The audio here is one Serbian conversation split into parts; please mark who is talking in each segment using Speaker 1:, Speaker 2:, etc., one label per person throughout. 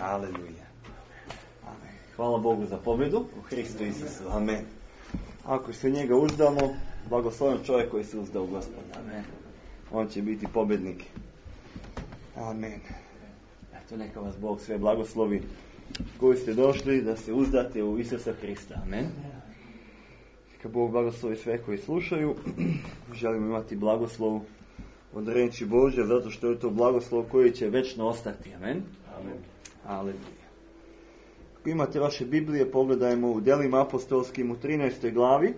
Speaker 1: Aleluja. Amen. Hvala Bogu za pobjedu u Hristu Isusu. Amen. Ako se njega uzdamo, blagosloven čovjek koji se uzda u Gospoda. Amen. On će biti pobjednik. Amen. Eto, neka vas Bog sve blagoslovi koji ste došli da se uzdate u Isusa Hrista. Amen. Neka Bog blagoslovi sve koji slušaju. Želimo imati blagoslov od riječi Božje, zato što je to blagoslov koji će večno ostati. Amen.
Speaker 2: Amen.
Speaker 1: Aleluja. Ako imate vaše Biblije, pogledajmo u Djelima apostolskim u 13. glavi.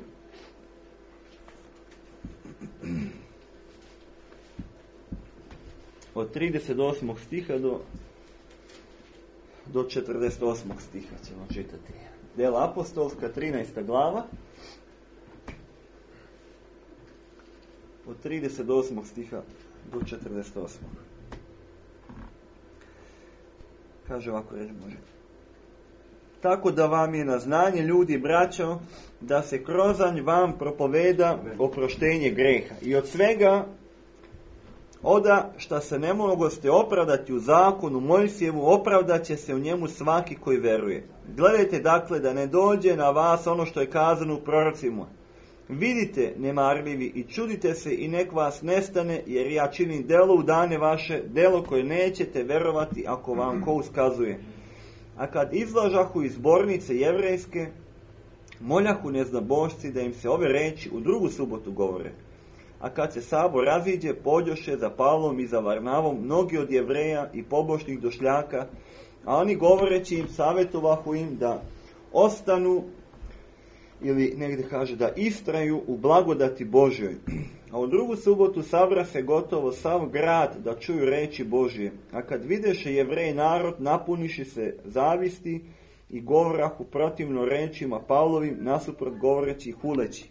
Speaker 1: Od 38. stiha do 48. stiha ćemo čitati. Djela apostolska, 13. glava. Od 38. stiha do 48. Kaže ovako reč Bože. Tako da vam je na znanje, ljudi, braćo, da se krozanj vam propoveda oproštenje greha. I od svega oda šta se ne mogoste opravdati u zakonu Mojsijevu, opravdat će se u njemu svaki koji veruje. Gledajte dakle da ne dođe na vas ono što je kazano u prorocima. Vidite, nemarljivi, i čudite se i nek vas nestane, jer ja činim delo u dane vaše, delo koje nećete verovati ako vam ko uskazuje. A kad izlažahu iz zbornice jevrejske, moljahu neznabošci da im se ove reči u drugu subotu govore. A kad se sabor raziđe, pođoše za Pavlom i za Varnavom mnogi od Jevreja i pobožnih došljaka, a oni govoreći im savjetovahu im da ostanu, ili negdje kaže da istraju u blagodati Božjoj. A u drugu subotu sabra se gotovo sav grad da čuju reči Božje. A kad videše Jevrej narod, napuniši se zavisti i govorahu protivno rečima Pavlovim, nasuprot govoreći i huleći.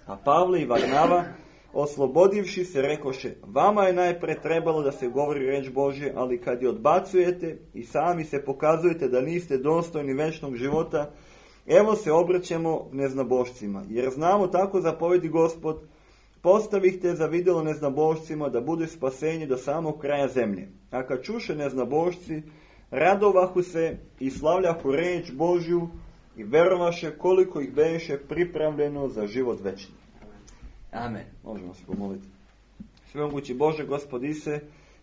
Speaker 1: A Pavle i Varnava, oslobodivši se, rekoše, vama je najpre trebalo da se govori reč Božje, ali kad je odbacujete i sami se pokazujete da niste dostojni večnog života, evo se obraćamo neznabošcima, jer znamo tako zapovedi Gospod, postavihte za vidjelo neznabošcima da bude spasenje do samog kraja zemlje. A kad čuše neznabošci, radovahu se i slavljahu reč Božju i verovaše koliko ih beše pripravljeno za život večni. Amen. Možemo se pomoliti. Svemogući Bože, Gospod Ise,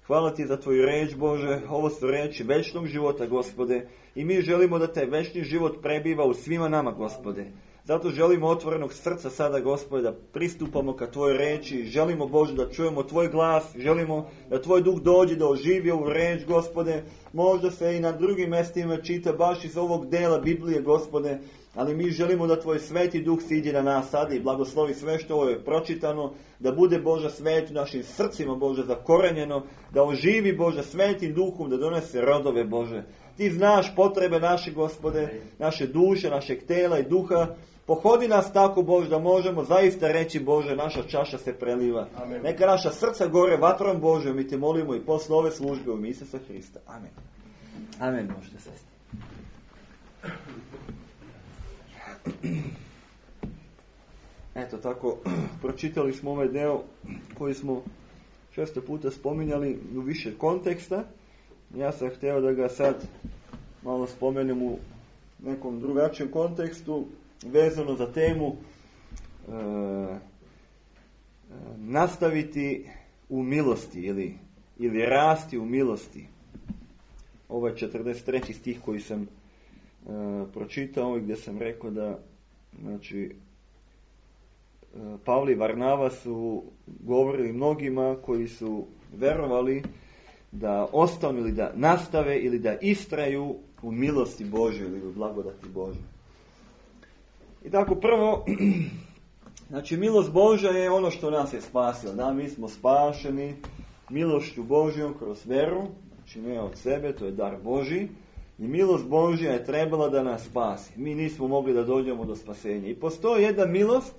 Speaker 1: hvala ti za tvoju reč, Bože. Ovo su reči večnog života, Gospode. I mi želimo da taj večni život prebiva u svima nama, Gospode. Zato želimo otvorenog srca sada, Gospode, da pristupamo ka tvojoj reči. Želimo, Bože, da čujemo tvoj glas. Želimo da tvoj duh dođe da oživi ovu reč, Gospode. Možda se i na drugim mjestima čita baš iz ovog dela Biblije, Gospode. Ali mi želimo da tvoj sveti duh siđe na nas sada i blagoslovi sve što ovo je pročitano, da bude Bože svet u našim srcima, Bože, zakorenjeno, da oživi, Bože, svetim duhom, da donese rodove, Bože. Ti znaš potrebe naše, Gospode, naše duše, našeg tela i duha. Pohodi nas tako, Bože, da možemo zaista reći, Bože, naša čaša se preliva. Amen. Neka naša srca gore vatrom Božjom, mi te molimo i posle ove službe u ime Isusa Hrista. Amen. Amen, možete sesti. Eto tako, pročitali smo ovaj deo koji smo često puta spominjali u više konteksta. Ja sam htio da ga sad malo spomenem u nekom drugačijem kontekstu, vezano za temu nastaviti u milosti ili rasti u milosti. Ovo je 43. stih koji sam pročitao i gdje sam rekao da, znači, Pavle i Varnava su govorili mnogima koji su verovali da ostanu ili da nastave ili da istraju u milosti Božoj ili u blagodati Božoj. I tako prvo, znači milost Božja je ono što nas je spasilo. Da, mi smo spašeni milošću Božjom kroz veru, znači ne od sebe, to je dar Božji. I milost Božja je trebala da nas spasi. Mi nismo mogli da dođemo do spasenja. I postoji jedna milost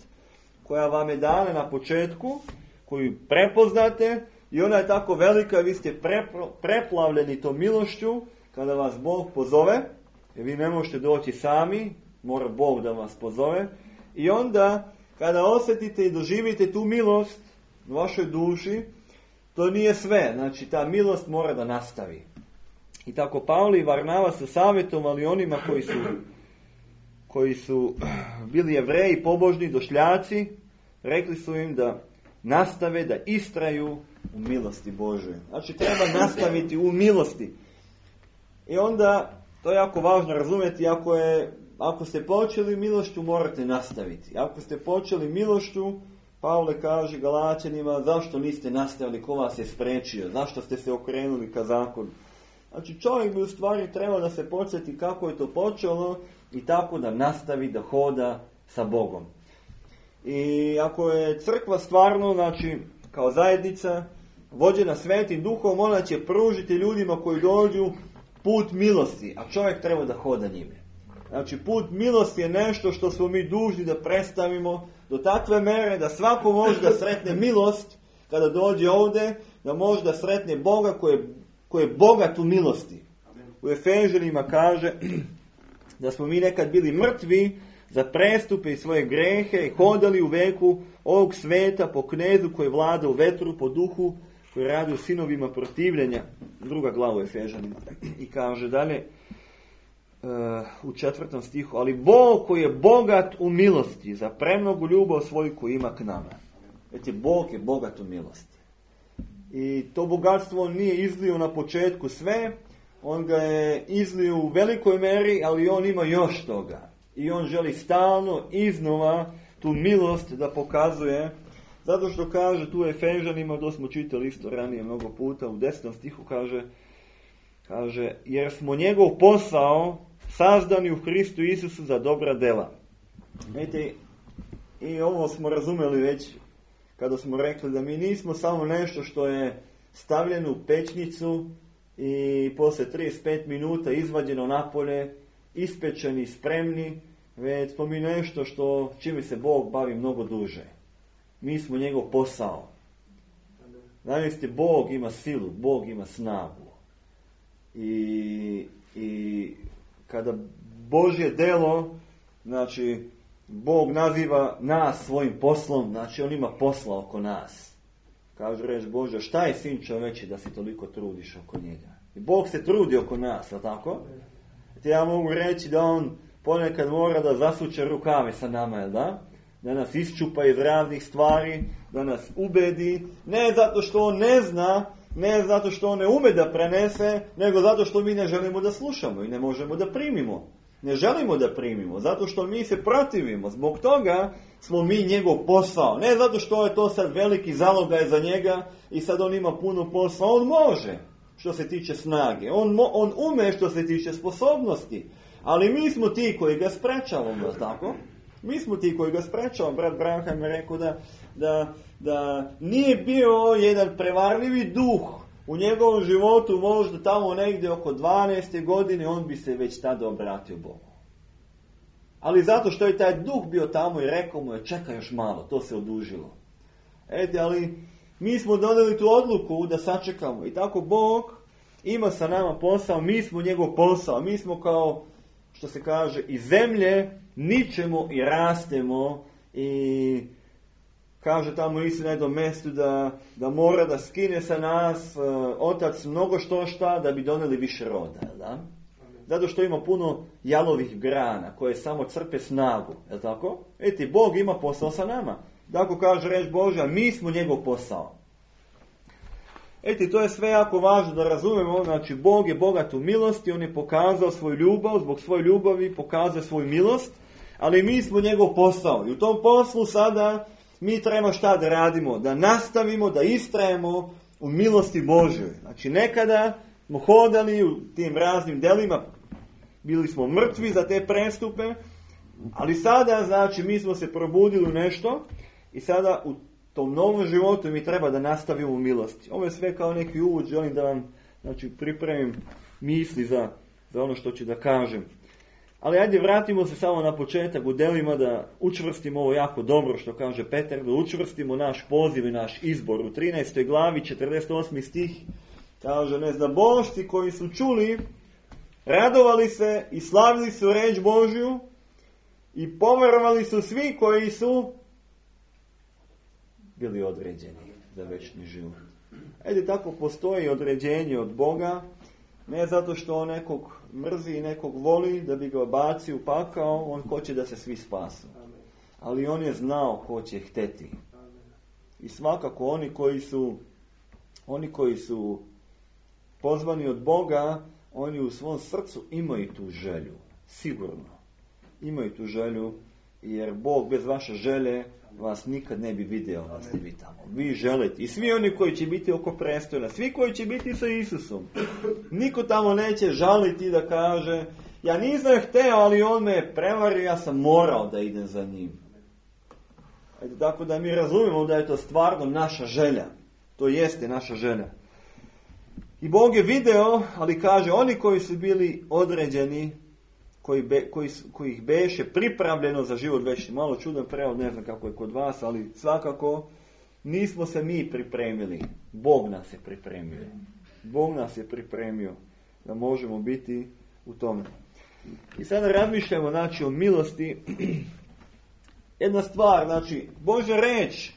Speaker 1: koja vam je dana na početku, koju prepoznate i ona je tako velika, vi ste preplavljeni tom milošću kada vas Bog pozove, jer vi ne možete doći sami, mora Bog da vas pozove. I onda kada osjetite i doživite tu milost u vašoj duši, to nije sve. Znači ta milost mora da nastavi. I tako Pavle i Varnava su savjetovali onima koji su bili Jevreji, pobožni, došljaci, rekli su im da nastave, da istraju u milosti Božoj. Znači treba nastaviti u milosti. I onda, to je jako važno razumjeti, ako ste počeli milošću, morate nastaviti. Ako ste počeli milošću, Pavle kaže Galaćanima, zašto niste nastavili, ko vas je spriječio, zašto ste se okrenuli ka zakonu. Znači čovjek bi u stvari trebao da se podsjeti kako je to počelo i tako da nastavi da hoda sa Bogom. I ako je crkva stvarno, znači kao zajednica, vođena Svetim Duhom, ona će pružiti ljudima koji dođu put milosti, a čovjek treba da hoda njime. Znači put milosti je nešto što smo mi dužni da predstavimo do takve mere da svako može da sretne milost kada dođe ovdje, da može da sretne Boga koji je bogat u milosti. U Efežanima kaže da smo mi nekad bili mrtvi za prestupe i svoje grehe i hodali u veku ovog sveta po knezu koji vlada u vetru, po duhu koji radi u sinovima protivljenja. Druga glava u Efežanima. I kaže dalje u 4. stihu, ali Bog koji je bogat u milosti za premnogu ljubav svoju koju ima k nama. Znači, Bog je bogat u milosti. I to bogatstvo on nije izlio na početku sve, on ga je izlio u velikoj meri, ali on ima još toga. I on želi stalno iznova tu milost da pokazuje, zato što kaže tu Efežanima, to smo čitali isto ranije mnogo puta, u 10. stihu kaže jer smo njegov posao sazdani u Hristu Isusu za dobra dela. Vidite, i ovo smo razumeli već kada smo rekli da mi nismo samo nešto što je stavljeno u pećnicu i poslije 35 minuta izvađeno napolje, ispečeni, spremni, već smo mi nešto čime se Bog bavi mnogo duže. Mi smo njegov posao. Znači, Bog ima silu, Bog ima snagu. I kada Božje delo, znači Bog naziva nas svojim poslom, znači on ima posla oko nas. Kaže reč Božja, šta je sin čoveči da se toliko trudiš oko njega? I Bog se trudi oko nas, a tako? Ja mogu reći da on ponekad mora da zasuče rukave sa nama, jel da? Da nas iščupa iz raznih stvari, da nas ubedi, ne zato što on ne zna, ne zato što on ne ume da prenese, nego zato što mi ne želimo da slušamo i ne možemo da primimo. Ne želimo da primimo, zato što mi se protivimo. Zbog toga smo mi njegov posao. Ne zato što je to sad veliki zalogaj za njega i sad on ima puno posla. On može što se tiče snage. On ume što se tiče sposobnosti. Ali mi smo ti koji ga sprečavamo, tako? Mi smo ti koji ga sprečavamo. Brat Branham je rekao da nije bio jedan prevarljivi duh u njegovom životu, možda tamo negdje oko 12. godine, on bi se već tada obratio Bogu. Ali zato što je taj duh bio tamo i rekao mu je, čekaj još malo, to se odužilo. Ali mi smo donijeli tu odluku da sačekamo. I tako Bog ima sa nama posao, mi smo njegov posao. Mi smo kao, što se kaže, iz zemlje ničemo i rastemo i kaže tamo isto na jednom mjestu da mora da skine sa nas otac mnogo šta da bi donijeli više roda. Da? Zato što ima puno jalovih grana koje samo crpe snagu. Je tako? Bog ima posao sa nama. Tako kaže reč Božja, mi smo njegov posao. To je sve jako važno da razumemo. Znači, Bog je bogat u milosti, on je pokazao svoju ljubav, zbog svoje ljubavi pokazao svoju milost, ali mi smo njegov posao. I u tom poslu sada mi treba šta da radimo? Da nastavimo, da istrajemo u milosti Božjoj. Znači, nekada smo hodali u tim raznim delima, bili smo mrtvi za te prestupe, ali sada, znači, mi smo se probudili u nešto i sada u tom novom životu mi treba da nastavimo u milosti. Ovo je sve kao neki uvod, želim da vam, znači, pripremim misli za ono što ću da kažem. Ali ajde vratimo se samo na početak u delima da učvrstimo ovo jako dobro što kaže Petar, da učvrstimo naš poziv i naš izbor. U 13. glavi 48. stih kaže, neznabošci koji su čuli, radovali se i slavili su reč Božju i poverovali su svi koji su bili određeni za večni život. Tako postoji određenje od Boga Ne zato što on nekog mrzi i nekog voli da bi ga bacio u pakao, on hoće da se svi spasu. Ali on je znao ko će hteti. I svakako oni koji su pozvani od Boga, oni u svom srcu imaju tu želju. Sigurno. Imaju tu želju, jer Bog bez vaše želje vas nikad ne bi video da ste vi tamo. Vi želite. I svi oni koji će biti oko prestoja, svi koji će biti sa Isusom. Niko tamo neće žaliti da kaže, ja nisam hteo, ali on me prevario, ja sam morao da idem za njim. Tako da mi razumijemo da je to stvarno naša želja. To jeste naša želja. I Bog je video, ali kaže, oni koji su bili određeni, koji ih beše pripravljeno za život večni. Malo čudan prevod, ne znam kako je kod vas, ali svakako nismo se mi pripremili. Bog nas je pripremio. Bog nas je pripremio da možemo biti u tome. I sada razmišljamo, znači, o milosti. Jedna stvar, znači, Božja reč,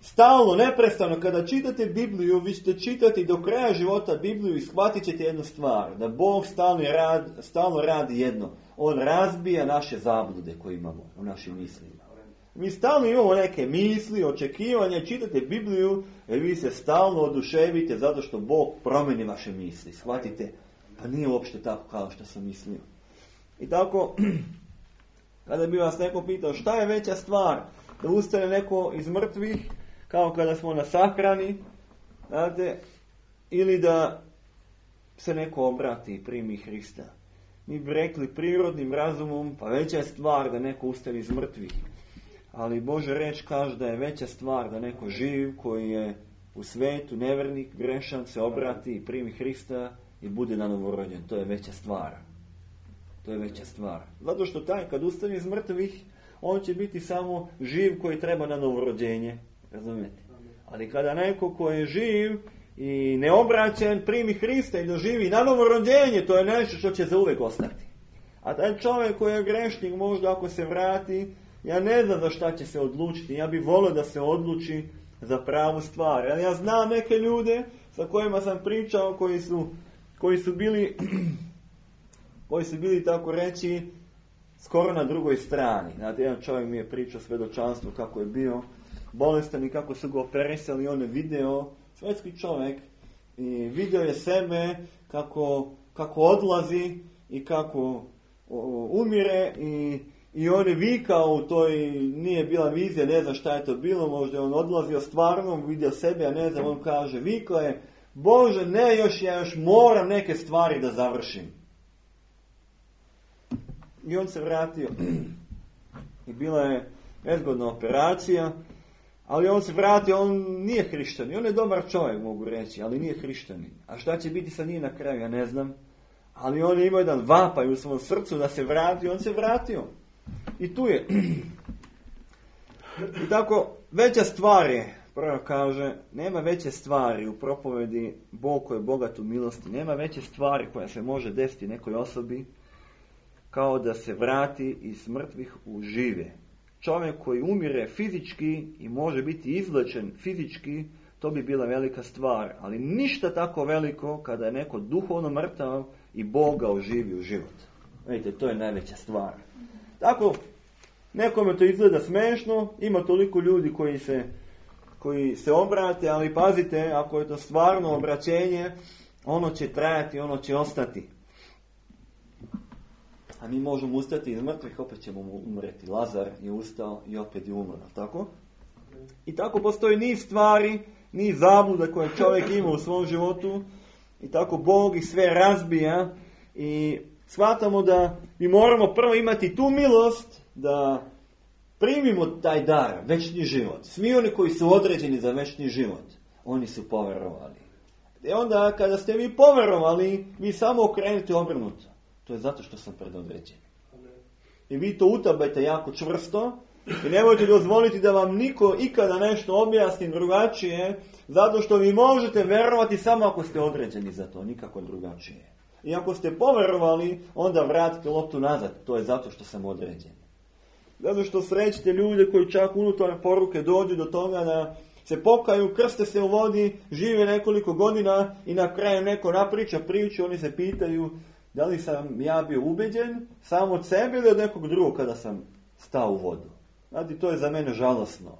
Speaker 1: stalno, neprestano, kada čitate Bibliju, vi ćete čitati do kraja života Bibliju i shvatit ćete jednu stvar, da Bog stalno radi jedno. On razbija naše zablude koje imamo u našim mislima. Mi stalno imamo neke misli, očekivanja, čitate Bibliju, jer vi se stalno oduševite zato što Bog promeni vaše misli. Shvatite, pa nije uopšte tako kao što sam mislio. I tako, kada bi vas neko pitao šta je veća stvar, da ustane neko iz mrtvih, kao kada smo na sahrani, znate, ili da se neko obrati i primi Hrista. Mi bi rekli prirodnim razumom, pa veća je stvar da neko ustane iz mrtvih. Ali Božja reč kaže da je veća stvar da neko živ koji je u svetu, nevernik, grešan, se obrati i primi Hrista i bude novorođen. To je veća stvar. To je veća stvar. Zato što taj kad ustane iz mrtvih, on će biti samo živ koji treba na novorođenje. Razumijete? Ali kada neko koji je živ i neobraćen primi Hrista i doživi na novorođenje, to je nešto što će zauvek ostati. A taj čovjek koji je grešnik, možda ako se vrati, ja ne znam za šta će se odlučiti. Ja bih volio da se odluči za pravu stvar. Ali ja znam neke ljude sa kojima sam pričao koji su bili tako reći skoro na drugoj strani. Znate, jedan čovjek mi je pričao svjedočanstvo kako je bio bolestan i kako su ga operisali. On je video, svetski čovjek, i video je sebe kako odlazi i kako umire i on je vikao u toj, nije bila vizija, ne znam šta je to bilo, možda je on odlazio stvarno, vidio sebe, a ne znam, on kaže, vikao je, Bože, ne, ja još moram neke stvari da završim. I on se vratio. I bila je nezgodna operacija, ali on se vratio, on nije hrišćanin. On je dobar čovjek, mogu reći, ali nije hrišćanin. A šta će biti sa njim na kraju, ja ne znam. Ali on je imao jedan vapaj u svom srcu da se vrati, on se vratio. I tu je. I tako, veća stvar je, prvo kaže, nema veće stvari u propovedi Bog koji je bogat u milosti, nema veće stvari koja se može desiti nekoj osobi kao da se vrati iz mrtvih u žive. Čovjek koji umire fizički i može biti izlečen fizički, to bi bila velika stvar. Ali ništa tako veliko kada je neko duhovno mrtav i Bog ga oživi u život. Vidite, to je najveća stvar. Tako, nekome to izgleda smešno, ima toliko ljudi koji se obrate, ali pazite, ako je to stvarno obraćenje, ono će trajati, ono će ostati. A mi možemo ustati iz mrtvih, opet ćemo umreti. Lazar je ustao i opet je umro, tako? I tako postoji niz stvari, niz zabluda koje čovjek ima u svom životu i tako Bog ih sve razbija i shvatamo da mi moramo prvo imati tu milost da primimo taj dar, večni život. Svi oni koji su određeni za večni život, oni su poverovali. I onda kada ste vi poverovali, vi samo okrenete obrnuto. To je zato što sam predodređen. I vi to utabajte jako čvrsto i nemojte dozvoliti da vam niko ikada nešto objasni drugačije, zato što vi možete verovati samo ako ste određeni za to, nikako drugačije. I ako ste poverovali, onda vratite loptu nazad. To je zato što sam određen. Zato što srećete ljude koji čak unutar poruke dođu do toga da se pokaju, krste se u vodi, žive nekoliko godina i na kraju neko napriča priču, oni se pitaju da li sam ja bio ubeđen sam od sebe ili od nekog drugog kada sam stao u vodu. Znate, to je za mene žalosno.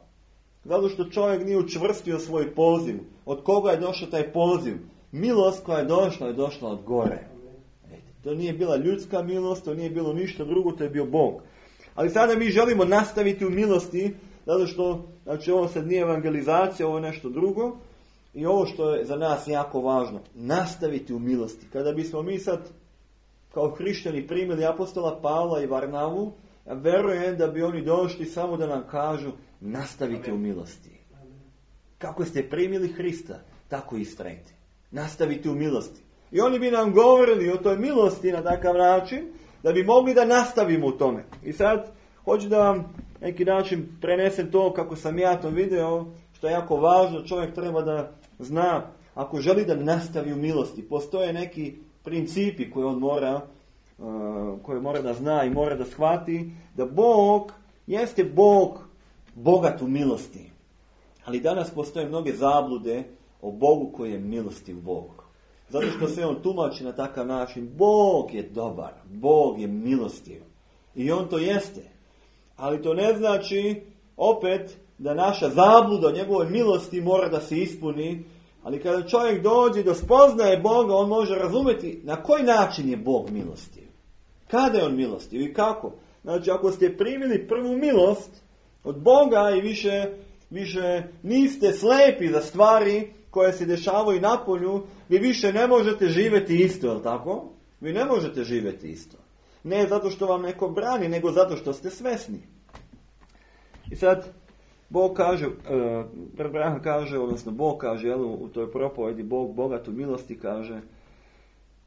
Speaker 1: Zato što čovjek nije učvrstio svoj poziv. Od koga je došao taj poziv? Milost koja je došla od gore. To nije bila ljudska milost, to nije bilo ništa drugo, to je bio Bog. Ali sada mi želimo nastaviti u milosti, zato što, znači ovo sad nije evangelizacija, ovo je nešto drugo. I ovo što je za nas jako važno, nastaviti u milosti. Kada bismo mi sad kao hrišćani primili apostola Pavla i Varnavu, ja verujem da bi oni došli samo da nam kažu nastavite u milosti. Kako ste primili Hrista, tako istrajte. Nastavite u milosti. I oni bi nam govorili o toj milosti na takav način, da bi mogli da nastavimo u tome. I sad, hoću da vam neki način prenesem to kako sam ja to video, što je jako važno, čovjek treba da zna, ako želi da nastavi u milosti, postoje neki principi koje on mora da zna i mora da shvati, da Bog jeste Bog bogat u milosti. Ali danas postoje mnoge zablude o Bogu koji je milostiv Bog. Zato što se on tumači na takav način, Bog je dobar, Bog je milostiv. I on to jeste. Ali to ne znači, opet, da naša zabluda o njegovoj milosti mora da se ispuni. Ali kada čovjek dođe do spoznaje Boga, on može razumjeti na koji način je Bog milostiv. Kada je on milostiv i kako? Znači, ako ste primili prvu milost od Boga i više niste slepi za stvari koje se dešavaju napolju, vi više ne možete živjeti isto, je li tako? Vi ne možete živjeti isto. Ne zato što vam neko brani, nego zato što ste svesni. I sad, Bog kaže, Bog kaže u toj propovedi, Bog bogat u milosti kaže,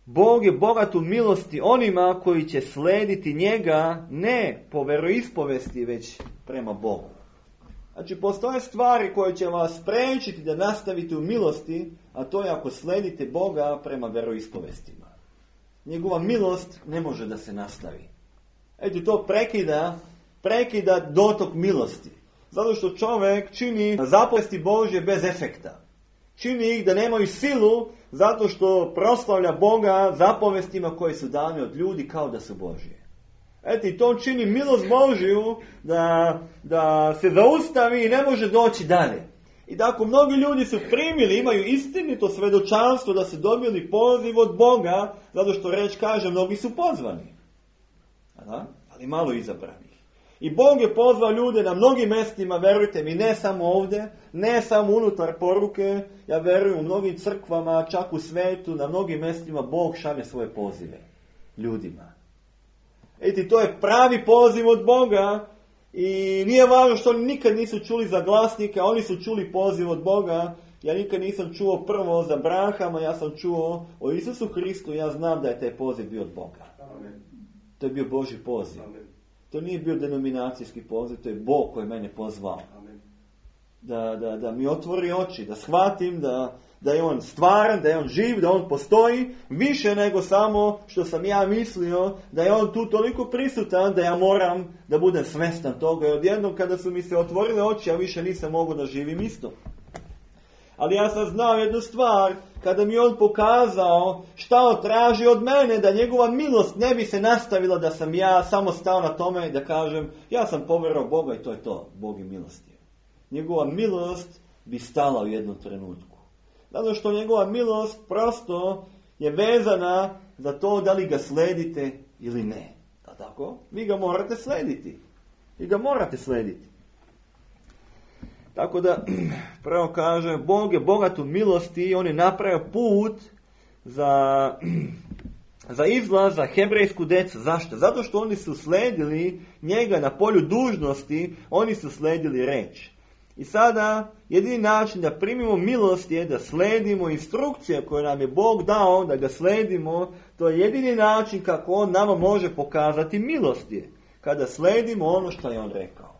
Speaker 1: Bog je bogat u milosti onima koji će slediti njega ne po veroispovesti, već prema Bogu. Znači, postoje stvari koje će vas spriječiti da nastavite u milosti, a to je ako sledite Boga prema veroispovestima. Njegova milost ne može da se nastavi. Eto, to prekida dotok milosti. Zato što čovjek čini zapovesti Božje bez efekta. Čini ih da nemaju silu, zato što proslavlja Boga zapovestima koje su dane od ljudi kao da su Božje. Eto, i to čini milost Božju da se zaustavi i ne može doći dalje. I tako mnogi ljudi su primili, imaju istinito svedočanstvo da su dobili poziv od Boga, zato što reč kaže, mnogi su pozvani. Ali malo izabranih. I Bog je pozvao ljude na mnogim mjestima, verujte mi, ne samo ovdje, ne samo unutar poruke, ja verujem u mnogim crkvama, čak u svetu, na mnogim mjestima Bog šalje svoje pozive ljudima. Eti, to je pravi poziv od Boga i nije važno što oni nikad nisu čuli za glasnika, oni su čuli poziv od Boga. Ja nikad nisam čuo prvo za Brahama, ja sam čuo o Isusu Hristu, ja znam da je taj poziv bio od Boga. Amen. To je bio Božji poziv. Amen. To nije bio denominacijski poziv, to je Bog koji mene pozvao. Amen. Da mi otvori oči, da shvatim da je on stvaran, da je on živ, da on postoji, više nego samo što sam ja mislio, da je on tu toliko prisutan da ja moram da budem svestan toga. I odjednom kada su mi se otvorile oči, ja više nisam mogao da živim isto. Ali ja sam znao jednu stvar, kada mi on pokazao šta on traži od mene, da njegova milost ne bi se nastavila, da sam ja samo stao na tome da kažem, ja sam povjerovao Boga i to je to, Bog je milostiv. Njegova milost bi stala u jednom trenutku. Zato što njegova milost prosto je vezana za to da li ga sledite ili ne. Da tako? Vi ga morate slediti. Tako da, prvo kaže, Bog je bogat u milosti i on je napravio put za izlaz za hebrejsku decu. Zašto? Zato što oni su sledili njega na polju dužnosti, oni su sledili reč. I sada, jedini način da primimo milost je da sledimo instrukcije koje nam je Bog dao, da ga sledimo. To je jedini način kako on nama može pokazati milost je. Kada sledimo ono što je on rekao.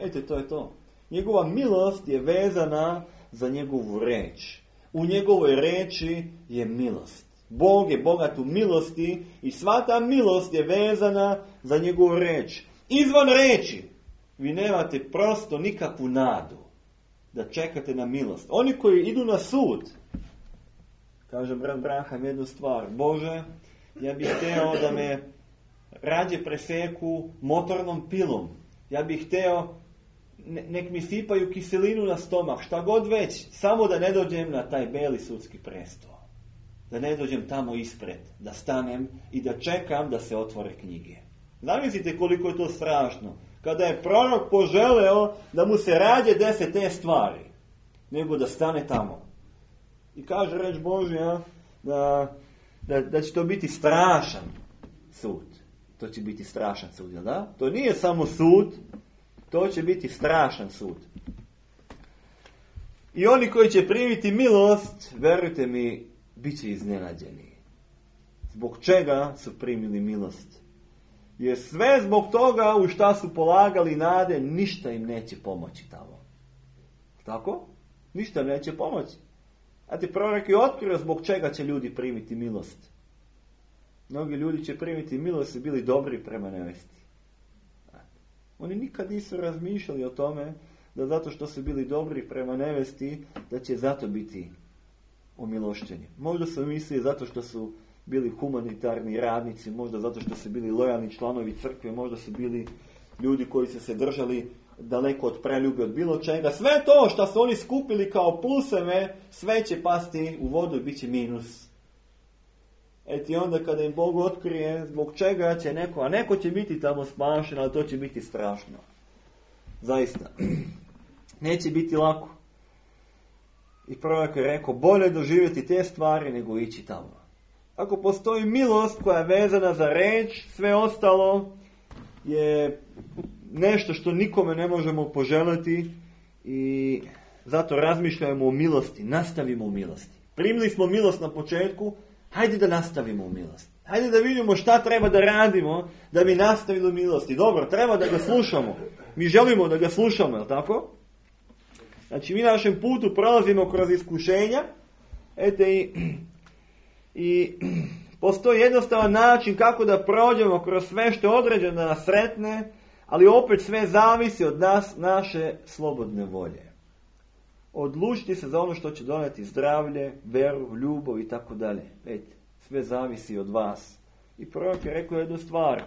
Speaker 1: Eto, to je to. Njegova milost je vezana za njegovu reč. U njegovoj reči je milost. Bog je bogat u milosti i sva ta milost je vezana za njegovu reč. Izvan reči vi nemate prosto nikakvu nadu. da čekate na milost. Oni koji idu na sud, kaže brat Braham jednu stvar, Bože, ja bih hteo da me rađe preseku motornom pilom. Ja bih hteo, nek mi sipaju kiselinu na stomak, šta god već, samo da ne dođem na taj beli sudski presto. Da ne dođem tamo ispred, da stanem i da čekam da se otvore knjige. Zamislite koliko je to strašno. Kada je prorok poželeo da mu se rađe dese te stvari, nego da stane tamo. I kaže reč Božja da će to biti strašan sud. To će biti strašan sud, jel da? To nije samo sud, to će biti strašan sud. I oni koji će primiti milost, verujte mi, bit će iznenađeni. Zbog čega su primili milost? Jer sve zbog toga u šta su polagali nade, ništa im neće pomoći tamo. Tako? Ništa neće pomoći. A ti prorok je otkrio zbog čega će ljudi primiti milost. Mnogi ljudi će primiti milost i bili dobri prema nevesti. Oni nikad nisu razmišljali o tome da zato što su bili dobri prema nevesti, da će zato biti omilošćeni. Možda su mislili zato što su bili humanitarni radnici, možda zato što su bili lojalni članovi crkve, možda su bili ljudi koji su se držali daleko od preljube, od bilo čega. Sve to što su oni skupili kao pluseve, sve će pasti u vodu i bit će minus. I onda kada im Bog otkrije zbog čega će neko, a neko će biti tamo spašen, ali to će biti strašno. Zaista. Neće biti lako. I prorok je rekao, bolje doživjeti te stvari nego ići tamo. Ako postoji milost koja je vezana za reč, sve ostalo je nešto što nikome ne možemo poželiti i zato razmišljamo o milosti, nastavimo u milosti. Primili smo milost na početku, hajde da nastavimo u milosti. Hajde da vidimo šta treba da radimo da bi nastavili u milosti. Dobro, treba da ga slušamo. Mi želimo da ga slušamo, je li tako? Znači, mi na našem putu prolazimo kroz iskušenja. I postoji jednostavan način kako da prođemo kroz sve što je određeno da nas sretne, ali opet sve zavisi od nas, naše slobodne volje. Odlučiti se za ono što će doneti zdravlje, veru, ljubav i tako dalje. Sve zavisi od vas. I prorok je rekao jednu stvar.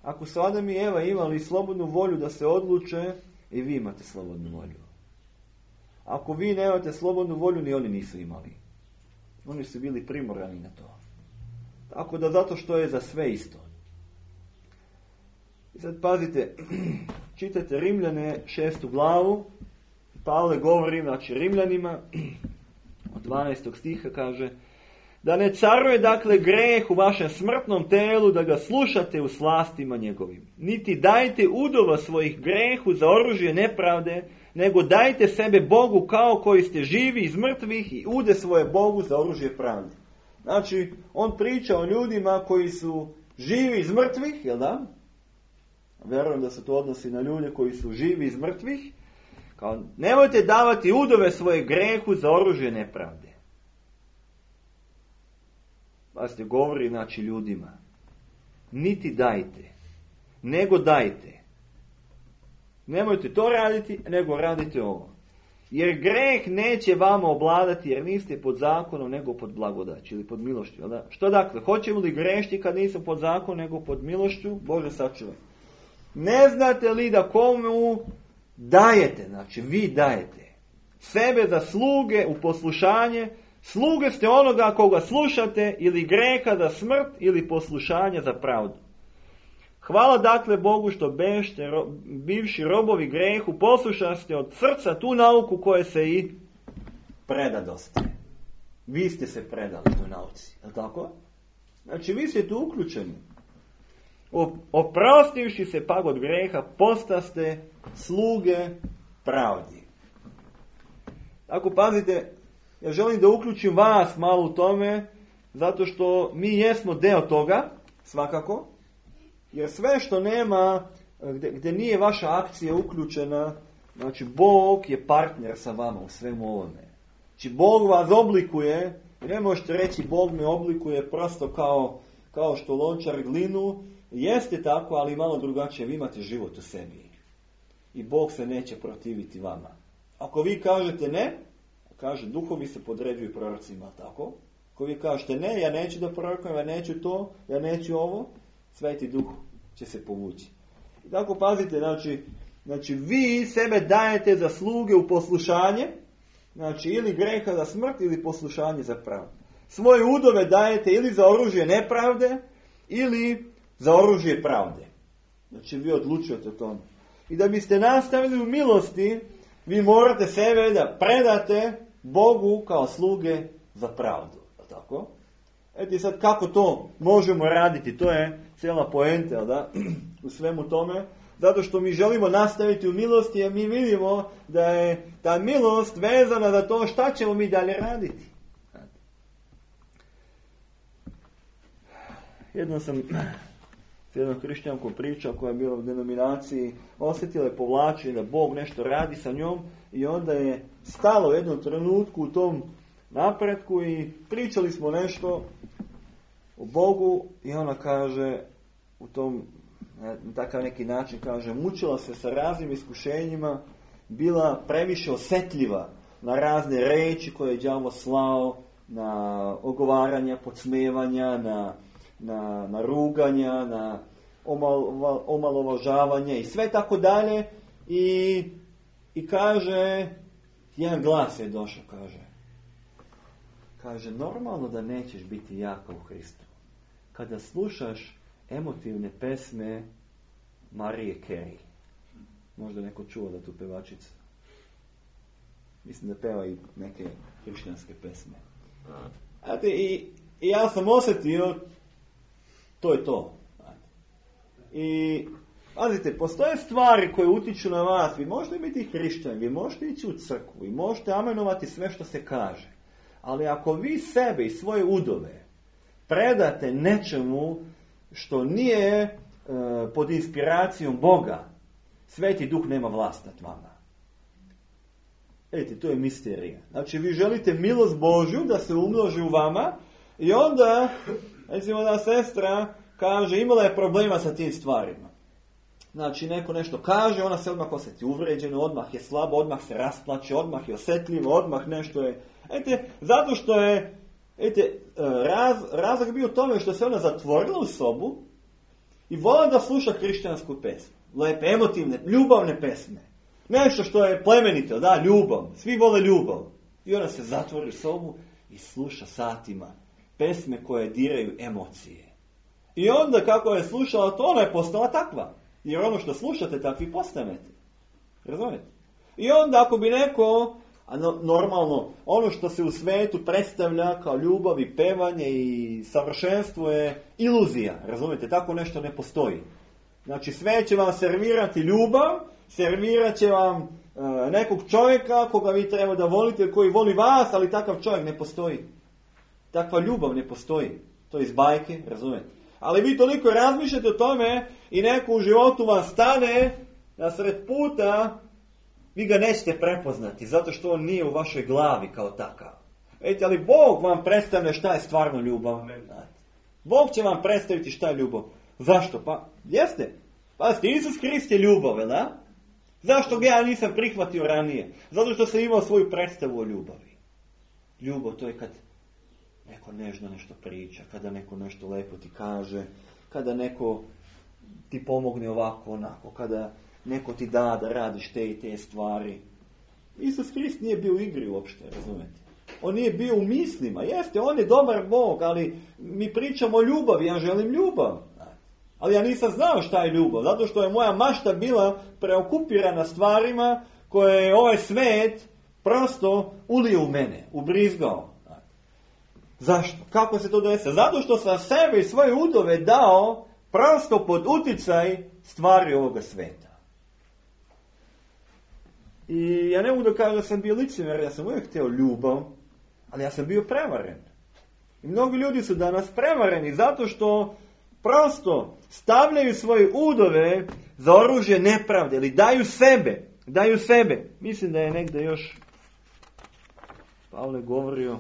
Speaker 1: Ako su Adam i Eva imali slobodnu volju da se odluče, i vi imate slobodnu volju. Ako vi nemate slobodnu volju, ni oni nisu imali. Oni su bili primorani na to. Tako da zato što je za sve isto. I sad pazite, čitajte Rimljane 6. glavu. Pavle govori, znači Rimljanima, od 12. stiha kaže, da ne caruje dakle greh u vašem smrtnom telu, da ga slušate u slastima njegovim. Niti dajte udova svojih grehu za oružje nepravde, nego dajte sebe Bogu kao koji ste živi iz mrtvih i ude svoje Bogu za oružje pravde. Znači, on priča o ljudima koji su živi iz mrtvih, jel da? Vjerujem da se to odnosi na ljude koji su živi iz mrtvih. Kao, nemojte davati udove svoje grehu za oružje nepravde. Pazite, govori znači ljudima. Niti dajte, nego dajte. Nemojte to raditi, nego radite ovo. Jer greh neće vama obladati, jer niste pod zakonom, nego pod blagodaću ili pod milošću. Što dakle? Hoćemo li grešiti kad nismo pod zakonom, nego pod milošću? Bože sačuvaj. Ne znate li da komu dajete, znači vi dajete sebe za sluge u poslušanje, sluge ste onoga koga slušate, ili greha za smrt, ili poslušanje za pravdu. Hvala dakle Bogu što bešte, bivši robovi grehu, poslušaste od srca tu nauku koje se i predadoste. Vi ste se predali toj nauci, je li tako? Znači vi ste tu uključeni. Oprostivši se pak od greha, postaste sluge pravdi. Tako pazite, ja želim da uključim vas malo u tome, zato što mi jesmo deo toga, svakako, jer sve što nema, gdje nije vaša akcija uključena, znači Bog je partner sa vama u svemu ovome. Znači Bog vas oblikuje, ne možete reći Bog me oblikuje prosto kao što lončar glinu, jeste tako, ali malo drugačije, vi imate život u sebi. i Bog se neće protiviti vama. Ako vi kažete ne, kaže duhovi se podređuju prorocima, tako? Ako vi kažete ne, ja neću da prorokujem, ja neću to, ja neću ovo, Sveti Duh će se povući. I tako pazite, znači vi sebe dajete za sluge u poslušanje, znači ili greha za smrt ili poslušanje za pravdu. Svoje udove dajete ili za oružje nepravde ili za oružje pravde. Znači vi odlučujete o tome. I da biste nastavili u milosti, vi morate sebe da predate Bogu kao sluge za pravdu. Tako? Eto sad kako to možemo raditi, to je cijela poenta, da? U svemu tome. Zato što mi želimo nastaviti u milosti, a mi vidimo da je ta milost vezana za to šta ćemo mi dalje raditi. Jednom sam s jednom hrišćankom pričao koja je bila u denominaciji, osjetila je povlačenje da Bog nešto radi sa njom i onda je stalo u jednom trenutku u tom napretku i pričali smo nešto o Bogu i ona kaže u tom, na takav neki način kaže, mučila se sa raznim iskušenjima, bila previše osjetljiva na razne reči koje je đavo slao, na ogovaranja, podsmevanja, na ruganja, na omalovažavanje i sve tako dalje. I kaže, jedan glas je došao, kaže, normalno da nećeš biti jaka u Hristu. Kada slušaš emotivne pesme Marije Carey. Možda neko čuo da tu pevačica. Mislim da peva i neke hrišćanske pesme. I ja sam osjetio, to je to. I pazite, postoje stvari koje utiču na vas. Vi možete biti hrišćani, vi možete ići u crkvu, vi možete amenovati sve što se kaže. Ali ako vi sebe i svoje udove predate nečemu što nije pod inspiracijom Boga, Sveti Duh nema vlast nad vama. Vidite, to je misterija. Znači, vi želite milost Božju da se umnoži u vama i onda, recimo da sestra kaže, imala je problema sa tim stvarima. Znači, neko nešto kaže, ona se odmah osjeti uvređeno, odmah je slabo, odmah se rasplače, odmah je osjetljivo, odmah nešto je... zato što je razlog bio u tome što se ona zatvorila u sobu i vola da sluša hrišćansku pesmu. Lepe, emotivne, ljubavne pesme. Nešto što je plemenito, da, ljubav. Svi vole ljubav. I ona se zatvori u sobu i sluša satima pesme koje diraju emocije. I onda kako je slušala to, ona je postala takva. Jer ono što slušate, takvi postanete. Razumijete? I onda ako bi neko... A normalno, ono što se u svijetu predstavlja kao ljubav i pevanje i savršenstvo je iluzija. Razumijete? Tako nešto ne postoji. Znači, sve će vam servirati ljubav, servirat će vam nekog čovjeka koga vi treba da volite, koji voli vas, ali takav čovjek ne postoji. Takva ljubav ne postoji. To je iz bajke, razumijete? Ali vi toliko razmišljate o tome i neko u životu vam stane nasred puta, vi ga nećete prepoznati, zato što on nije u vašoj glavi kao takav. Vidite, ali Bog vam predstavlja šta je stvarno ljubav. Bog će vam predstaviti šta je ljubav. Zašto? Pa, jeste. Pazite, Isus Hrist je ljubav, da? Zašto ga ja nisam prihvatio ranije? Zato što sam imao svoju predstavu o ljubavi. Ljubav, to je kad neko nežno nešto priča, kada neko nešto lepo ti kaže, kada neko ti pomogne ovako, onako, kada neko ti da radiš te i te stvari. Isus Hrist nije bio u igri uopšte, razumete? On nije bio u mislima. Jeste, on je dobar Bog, ali mi pričamo o ljubavi, ja želim ljubav. Ali ja nisam znao šta je ljubav, zato što je moja mašta bila preokupirana stvarima koje je ovaj svet prosto ulio u mene, ubrizgao. Zašto? Kako se to desi? Zato što sam sebe i svoje udove dao prosto pod uticaj stvari ovoga sveta. I ja ne mogu da kažem da sam bio licemjer, ja sam uvijek htio ljubav, ali ja sam bio prevaren. I mnogi ljudi su danas prevareni zato što prosto stavljaju svoje udove za oružje nepravde ili daju sebe. Mislim da je negdje još Pavle govorio,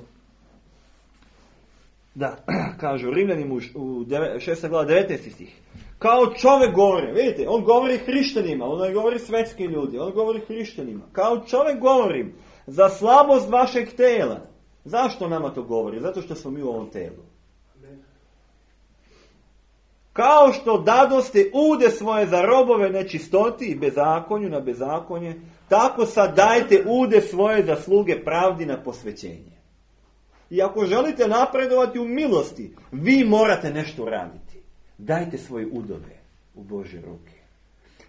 Speaker 1: da, kažu Rimljanima u 6. glava 19. stih. Kao čovjek govori. Vidite, on govori hrišćanima, on ne govori svetskim ljudi, on govori hrišćanima. Kao čovjek govorim za slabost vašeg tela. Zašto nama to govori? Zato što smo mi u ovom telu. Kao što dadoste ude svoje za robove nečistoti i bezakonju na bezakonje, tako sad dajte ude svoje za sluge pravdi na posvećenje. I ako želite napredovati u milosti, vi morate nešto raditi. Dajte svoje udove u Božje ruke.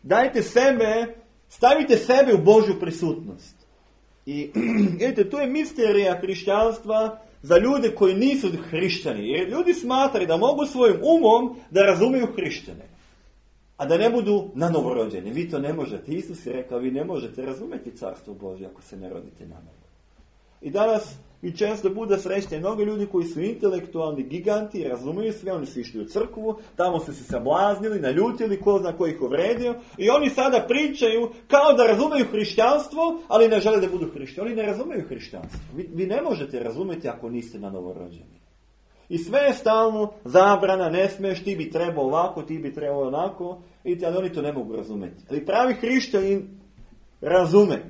Speaker 1: Dajte sebe, stavite sebe u Božju prisutnost. I vidite, tu je misterija hrišćanstva za ljude koji nisu hrišćani. Jer ljudi smatraju da mogu svojim umom da razumiju hrišćane, a da ne budu na novorođeni. Vi to ne možete. Isus je rekao, vi ne možete razumjeti carstvo Božje ako se ne rodite na novo. I danas mi često bude srećni mnogo ljudi koji su intelektualni giganti, razumiju sve, oni su išli u crkvu, tamo su se sablaznili, naljutili, ko zna ko ih uvredio, i oni sada pričaju kao da razumiju hrišćanstvo, ali ne žele da budu hrišćani. Oni ne razumiju hrišćanstvo. Vi ne možete razumjeti ako niste na novorođeni. I sve je stalno zabrana, ne smiješ, ti bi trebao ovako, ti bi trebao onako, vidite, ali oni to ne mogu razumjeti. Ali pravi hrišćanin razume.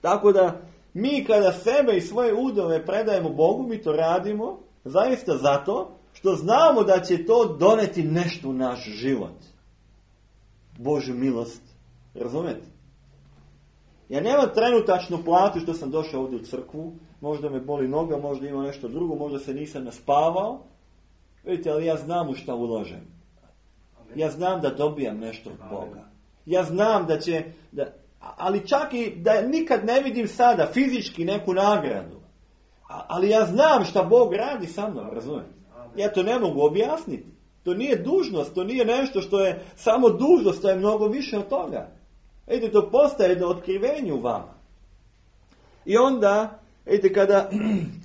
Speaker 1: Tako da mi kada sebe i svoje udove predajemo Bogu, mi to radimo zaista zato što znamo da će to doneti nešto u naš život. Božju milost. Razumete? Ja nemam trenutačnu platu što sam došao ovdje u crkvu, možda me boli noga, možda ima nešto drugo, možda se nisam naspavao. Vidite, ali ja znam u šta uložem. Ja znam da dobijam nešto od Boga. Ja znam da će... Ali čak i da nikad ne vidim sada fizički neku nagradu. Ali ja znam šta Bog radi sa mnom, razumijete? Ja to ne mogu objasniti. To nije dužnost, to nije nešto što je samo dužnost, to je mnogo više od toga. Vidite, to postaje jedno otkrivenje u vama. I onda, vidite,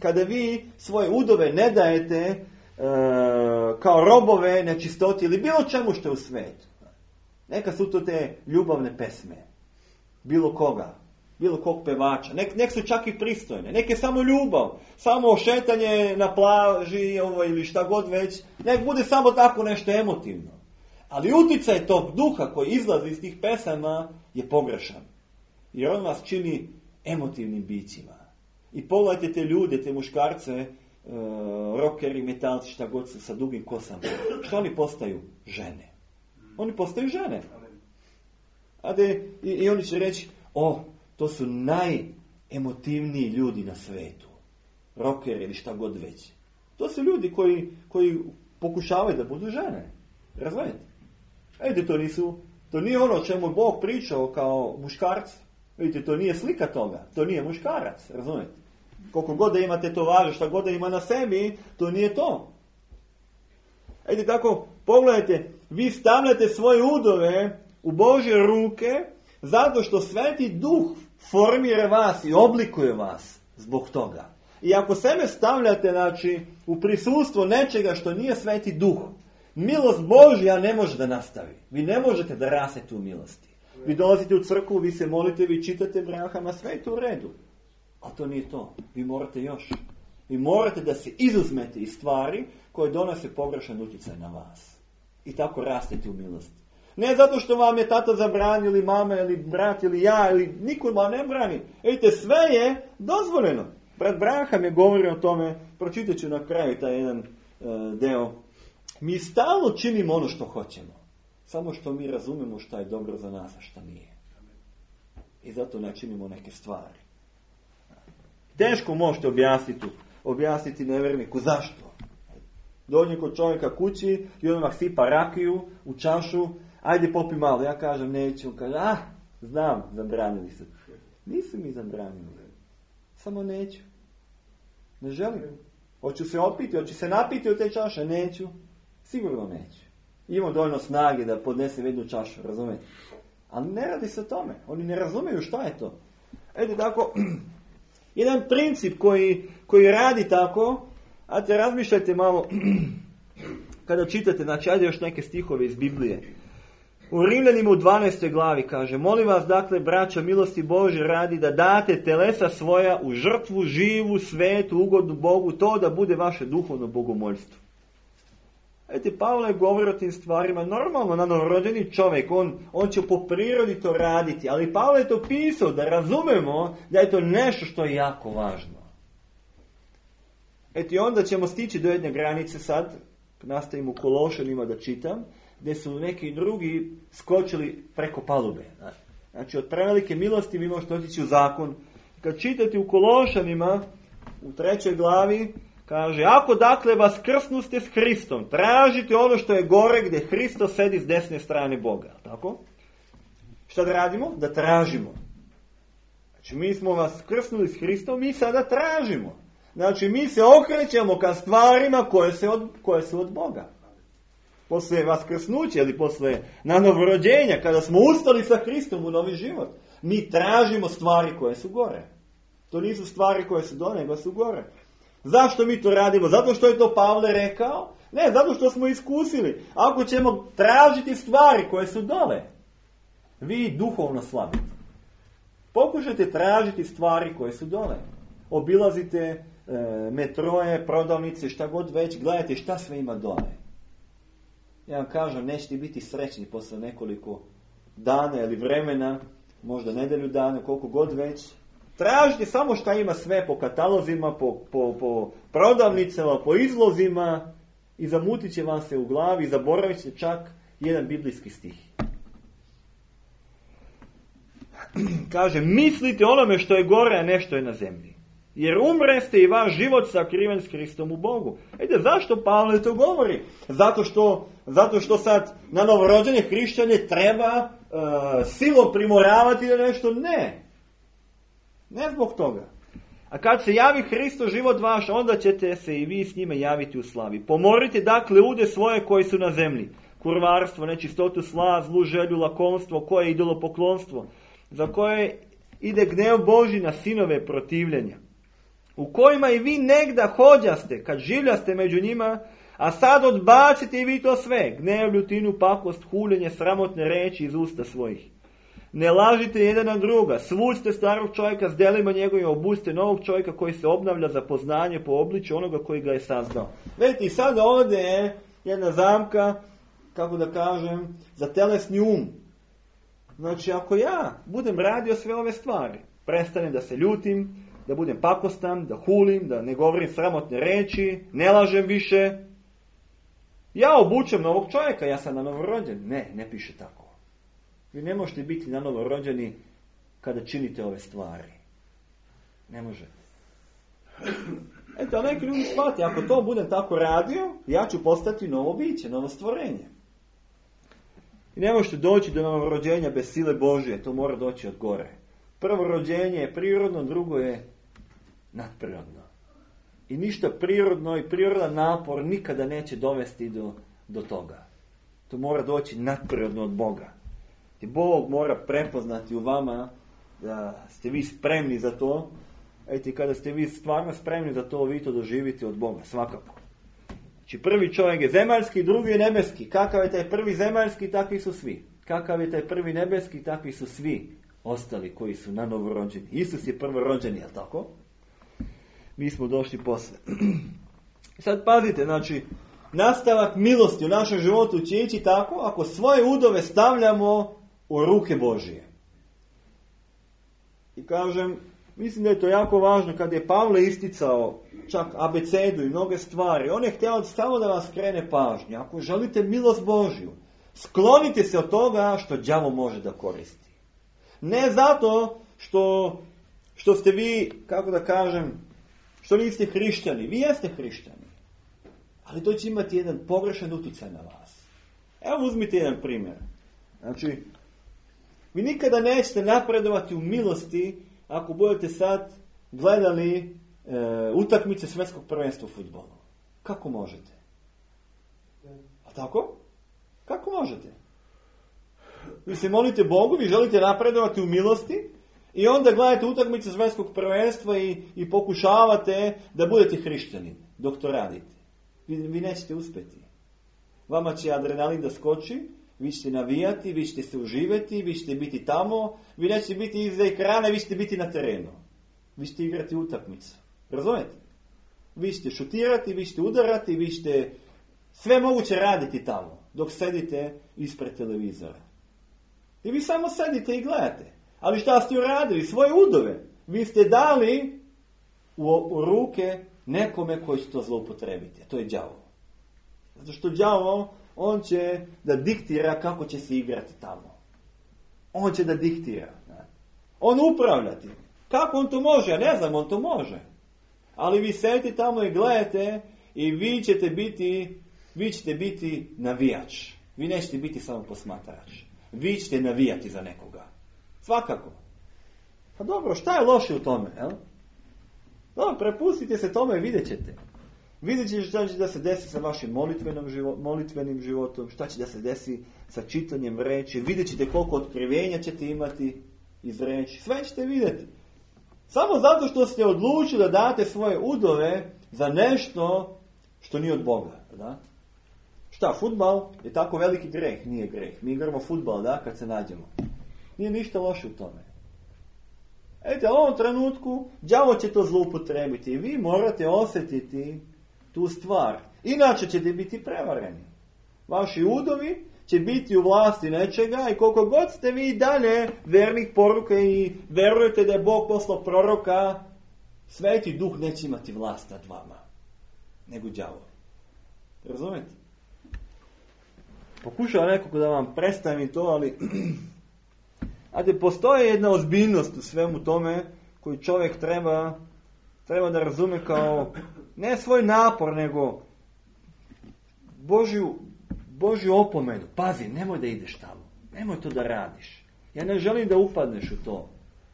Speaker 1: kada vi svoje udove ne dajete kao robove nečistoti ili bilo čemu što je u svetu. Neka su to te ljubavne pesme. Bilo koga, bilo kog pevača. Nek su čak i pristojne. Nek je samo ljubav, samo šetanje na plaži ili šta god već. Nek bude samo tako nešto emotivno. Ali uticaj tog duha koji izlazi iz tih pesama je pogrešan. Jer on vas čini emotivnim bićima. I pogledajte te ljude, te muškarce, rockeri, metalci, šta god su sa dugim kosama. Što oni postaju? Žene. Oni postaju žene. I oni će reći, to su najemotivniji ljudi na svetu. Rockeri ili šta god već. To su ljudi koji pokušavaju da budu žene. Razumijete? To nije ono o čemu Bog pričao kao muškarci. Vidite, to nije slika toga. To nije muškarac. Razumijete? Koliko god da ima tetovaže, šta god da ima na sebi, to nije to. Tako, pogledajte, vi stavljate svoje udove u Božje ruke zato što Sveti Duh formira vas i oblikuje vas zbog toga. I ako sebe stavljate, u prisustvo nečega što nije Sveti Duh, milost Božja ne može da nastavi. Vi ne možete da rastete u milosti. Vi dolazite u crkvu, vi se molite, vi čitate brahama, sve je to u redu. A to nije to. Vi morate još. Vi morate da se izuzmete iz stvari koje donose pogrešan utjecaj na vas. I tako rastete u milosti. Ne zato što vam je tata zabranio, ili mama, ili brat, ili ja, ili niko vam ne brani. Vidite, sve je dozvoljeno. Brat Braham je govorio o tome, pročitat ću na kraju taj jedan deo. Mi stalno činimo ono što hoćemo. Samo što mi razumemo šta je dobro za nas, a šta nije. I zato ne činimo neke stvari. Teško možete objasniti nevjerniku zašto. Dođe kod čovjeka kući i on odmah sipa rakiju u čašu, ajde popi malo. Ja kažem neću, on kaže, znam, zabranili se. Nisu mi zabranili. Samo neću. Ne želim. Hoću se opiti, hoću se napiti od te čaše, neću. Sigurno neću. Imam dovoljno snage da podnesem jednu čašu, razumijete? Ali ne radi se o tome. Oni ne razumiju šta je to. Tako, jedan princip koji radi tako, razmišljajte malo kada čitate, ajde još neke stihove iz Biblije. U Rimljanima u 12. glavi kaže, molim vas dakle, braćo, milosti Božje radi da date telesa svoja u žrtvu, živu, svetu, ugodnu Bogu, to da bude vaše duhovno bogomoljstvo. Pavle govori o tim stvarima, normalno, novorođeni čovjek, on će po prirodi to raditi, ali Pavle je to pisao da razumemo da je to nešto što je jako važno. I onda ćemo stići do jedne granice sad, nastavimo u Kološanima da čitam, gdje su neki drugi skočili preko palube. Znači, od prevelike milosti vi možete otići u zakon. Kad čitate u Kološanima, u 3. glavi, kaže, ako dakle vas krsnuste s Hristom, tražite ono što je gore gdje Hristos sedi s desne strane Boga. Tako? Šta da radimo? Da tražimo. Znači, mi smo vas krsnuli s Hristom, mi sada tražimo. Znači, mi se okrećemo ka stvarima koje su od Boga. Posle vaskrsnuća ili posle nanovrođenja, kada smo ustali sa Hristom u novi život, mi tražimo stvari koje su gore. To nisu stvari koje su dole, nego su gore. Zašto mi to radimo? Zato što je to Pavle rekao? Ne, zato što smo iskusili. Ako ćemo tražiti stvari koje su dole, vi duhovno slabite. Pokušajte tražiti stvari koje su dole. Obilazite metroje, prodavnice, šta god već, gledajte šta sve ima dole. Ja vam kažem, nećete biti srećni posle nekoliko dana ili vremena, možda nedelju dana, koliko god već. Tražite samo šta ima sve po katalozima, po prodavnicama, po izlozima i zamutit će vam se u glavi i zaboravit će čak jedan biblijski stih. Kaže, mislite onome što je gore, a ne što je na zemlji. Jer umreste i vaš život sakriven s Hristom u Bogu. Zašto Pavle to govori? Zato što sad na novorođene hrišćane treba silom primoravati da nešto ne. Ne zbog toga. A kad se javi Hristo život vaš, onda ćete se i vi s njime javiti u slavi. Pomorite dakle lude svoje koji su na zemlji. Kurvarstvo, nečistotu, slaz, zlu želju, lakomstvo, koje je idolopoklonstvo, za koje ide gnev Božji na sinove protivljenja. U kojima i vi negda hođaste, kad življaste među njima, a sad odbacite i vi to sve. Gnev, ljutinu, pakost, huljenje, sramotne reči iz usta svojih. Ne lažite jedan na druga, svucite starog čovjeka s delima njegovim, obucite novog čovjeka koji se obnavlja za poznanje po obličju onoga koji ga je sazdao. Vidite, i sad ovdje je jedna zamka, kako da kažem, za telesni um. Znači, ako ja budem radio sve ove stvari, prestanem da se ljutim, da budem pakostan, da hulim, da ne govorim sramotne reči, ne lažem više, ja obučem novog čovjeka, ja sam na novorođen. Ne piše tako. Vi ne možete biti na novorođeni kada činite ove stvari. Ne može. A neki ljudi shvati, ako to budem tako radio, ja ću postati novo biće, novo stvorenje. I ne možete doći do novorođenja bez sile Božje, to mora doći od gore. Prvo rođenje je prirodno, drugo je nadprirodno. I ništa prirodno i prirodan napor nikada neće dovesti do toga. To mora doći nadprirodno od Boga. I Bog mora prepoznati u vama da ste vi spremni za to. Kada ste vi stvarno spremni za to, vi to doživite od Boga, svakako. Znači, prvi čovjek je zemaljski, drugi je nebeski. Kakav je taj prvi zemaljski, takvi su svi. Kakav je taj prvi nebeski, takvi su svi ostali koji su na novorođeni. Isus je prvorođeni, jel tako? Mi smo došli posle. Sad pazite, znači, nastavak milosti u našem životu će ići tako ako svoje udove stavljamo u ruke Božije. I kažem, mislim da je to jako važno kad je Pavle isticao čak abecedu i mnoge stvari. On je htio samo da vas krene pažnju. Ako želite milost Božju, sklonite se od toga što đavo može da koristi. Ne zato što ste vi, kako da kažem, što niste hrišćani. Vi jeste hrišćani. Ali to će imati jedan pogrešan utjecaj na vas. Evo uzmite jedan primjer. Znači, vi nikada nećete napredovati u milosti ako budete sad gledali utakmice svjetskog prvenstva u fudbalu. Kako možete? A tako? Kako možete? Vi se molite Bogu, vi želite napredovati u milosti i onda gledate utakmice svjetskog prvenstva i pokušavate da budete hrišćanin dok to radite. Vi nećete uspjeti. Vama će adrenalin da skoči, vi ćete navijati, vi ćete se uživati, vi ćete biti tamo, vi nećete biti iza ekrana, vi ćete biti na terenu. Vi ćete igrati utakmicu. Razumete? Vi ćete šutirati, vi ćete udarati, vi ćete sve moguće raditi tamo, dok sedite ispred televizora. I vi samo sedite i gledate. Ali šta ste uradili? Svoje udove. Vi ste dali u ruke nekome koji će to zloupotrebiti. A to je đavo. Zato što đavo, on će da diktira kako će se igrati tamo. On će da diktira. On upravljati. Kako on to može? Ja ne znam, on to može. Ali vi sedite tamo i gledate i vi ćete biti navijač. Vi nećete biti samo posmatrač. Vi ćete navijati za nekoga. Svakako. Pa dobro, šta je loše u tome? Jel? Dobro, prepustite se tome i vidjet ćete. Vidjet ćete šta će da se desi sa vašim molitvenim životom, šta će da se desi sa čitanjem reči, vidjet ćete koliko otkrivenja ćete imati iz reči. Sve ćete vidjeti. Samo zato što ste odlučili da date svoje udove za nešto što nije od Boga. Da? Šta, fudbal je tako veliki greh? Nije greh. Mi igramo fudbal, da, kad se nađemo. Nije ništa loše u tome. Ete, u ovom trenutku đavo će to zloupotrebiti i vi morate osjetiti tu stvar. Inače ćete biti prevareni. Vaši udovi će biti u vlasti nečega i koliko god ste vi dalje vernih poruka i verujete da je Bog poslao proroka, Sveti Duh neće imati vlast nad vama, nego đavo. Razumete? Pokušao nekako da vam predstavim to, ali ajde, postoji jedna ozbiljnost u svemu tome koju čovjek treba da razume kao ne svoj napor, nego Božju opomenu. Pazi, nemoj da ideš tamo. Nemoj to da radiš. Ja ne želim da upadneš u to.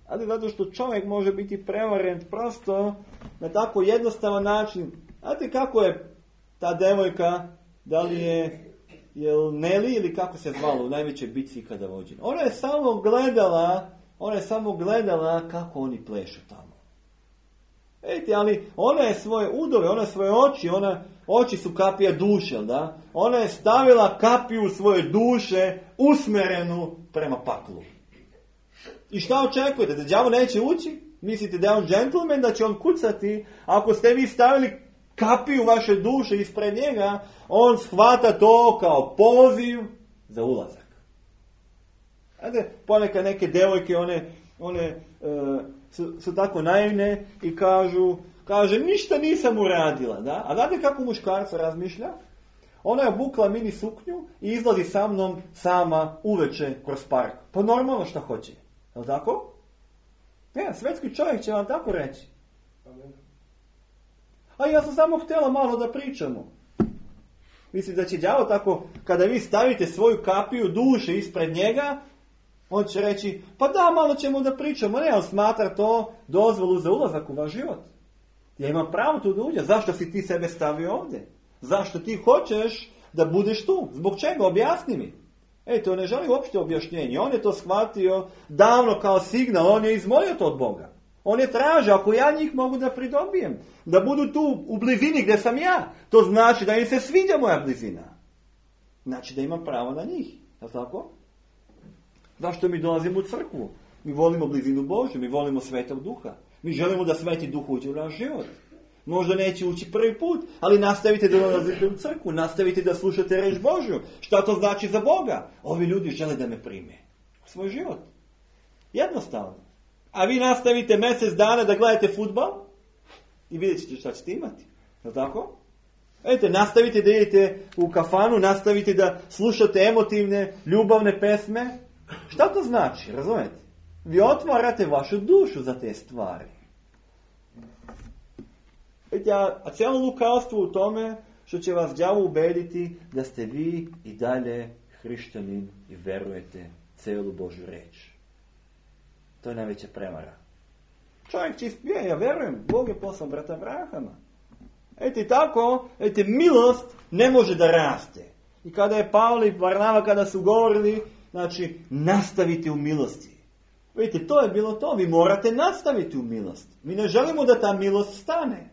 Speaker 1: Ali zato što čovjek može biti prevaren prosto na tako jednostavan način. Znate kako je ta devojka, da li je Neli ili kako se zvalo u najvećoj bitci ikada vođena. Ona je samo gledala kako oni plešu tamo. Vidite, ali ona je svoje udove, ona je svoje oči su kapija duše, da? Ona je stavila kapiju svoje duše usmerenu prema paklu. I šta očekujete? Da đavo neće ući? Mislite da je on džentlmen, da će on kucati? Ako ste vi stavili kapiju vaše duše ispred njega, on shvata to kao poziv za ulazak. Znate, ponekad neke devojke, one su tako naivne i kaže, ništa nisam uradila. Da? A znate kako muškarca razmišlja? Ona je obukla mini suknju i izlazi sa mnom sama uveče kroz park. Pa normalno šta hoće. Je li tako? Ne, svetski čovjek će vam tako reći. A ja sam samo htjela malo da pričamo. Mislite da će đavo tako, kada vi stavite svoju kapiju duše ispred njega, on će reći, pa da, malo ćemo da pričamo. Ne, on smatra to dozvolu za ulazak u vaš život. Ja imam pravo tu da uđem. Zašto si ti sebe stavio ovdje? Zašto ti hoćeš da budeš tu? Zbog čega? Objasni mi. To ne želi uopšte objašnjenje. On je to shvatio davno kao signal. On je izmolio to od Boga. On je tražio, ako ja njih mogu da pridobijem, da budu tu u blizini gdje sam ja, to znači da im se sviđa moja blizina. Znači da imam pravo na njih. Je li tako? Zašto mi dolazimo u crkvu? Mi volimo blizinu Božju, mi volimo Svetog Duha. Mi želimo da Sveti Duh uđe u naš život. Možda neće ući prvi put, ali nastavite da dolazite u crkvu, nastavite da slušate reč Božju. Šta to znači za Boga? Ovi ljudi žele da me prime u svoj život. Jednostavno. A vi nastavite mjesec dana da gledate fudbal i vidjet ćete šta ćete imati. Je li tako? Nastavite da idete u kafanu, nastavite da slušate emotivne, ljubavne pesme. Šta to znači? Razumete? Vi otvarate vašu dušu za te stvari. A cijelo lukavstvo u tome što će vas đavo ubediti da ste vi i dalje hrišćanin i verujete cijelu Božju reč. To je najveća prevara. Čovjek čist, ja verujem, Bog je poslao brata Abrahama. Tako, milost ne može da raste. I kada je Pavle i Varnava, kada su govorili, znači, nastavite u milosti. Vidite, to je bilo to, vi morate nastaviti u milost. Mi ne želimo da ta milost stane.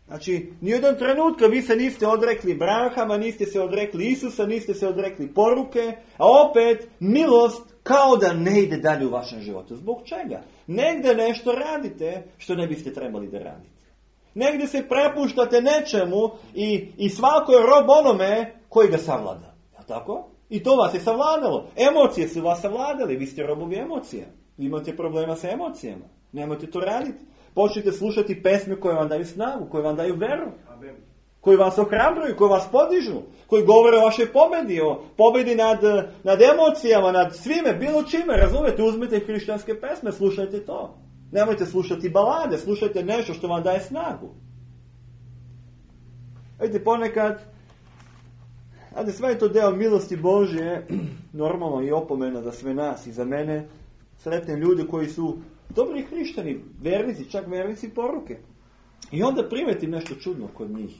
Speaker 1: Znači, nijedan trenutka vi se niste odrekli Abrahama, niste se odrekli Isusa, niste se odrekli poruke, a opet milost kao da ne ide dalje u vašem životu. Zbog čega? Negdje nešto radite što ne biste trebali da radite. Negdje se prepuštate nečemu i svako je rob onome koji ga savlada. Ja tako? I to vas je savladalo. Emocije su vas savladali. Vi ste robovi emocija. Vi imate problema sa emocijama. Nemojte to raditi. Počnite slušati pesme koje vam daju snagu, koje vam daju veru. Amen. Koji vas ohrabruju, koji vas podižu, koji govore o vašoj pobedi, o pobedi nad emocijama, nad svime, bilo čime, razumijete, uzmite hrišćanske pesme, slušajte to. Nemojte slušati balade, slušajte nešto što vam daje snagu. Vidite, ponekad, sve je to deo milosti Božje, normalno i opomena za sve nas i za mene, sretne ljudi koji su dobri hrišćani, vernici, čak vernici poruke. I onda primetim nešto čudno kod njih.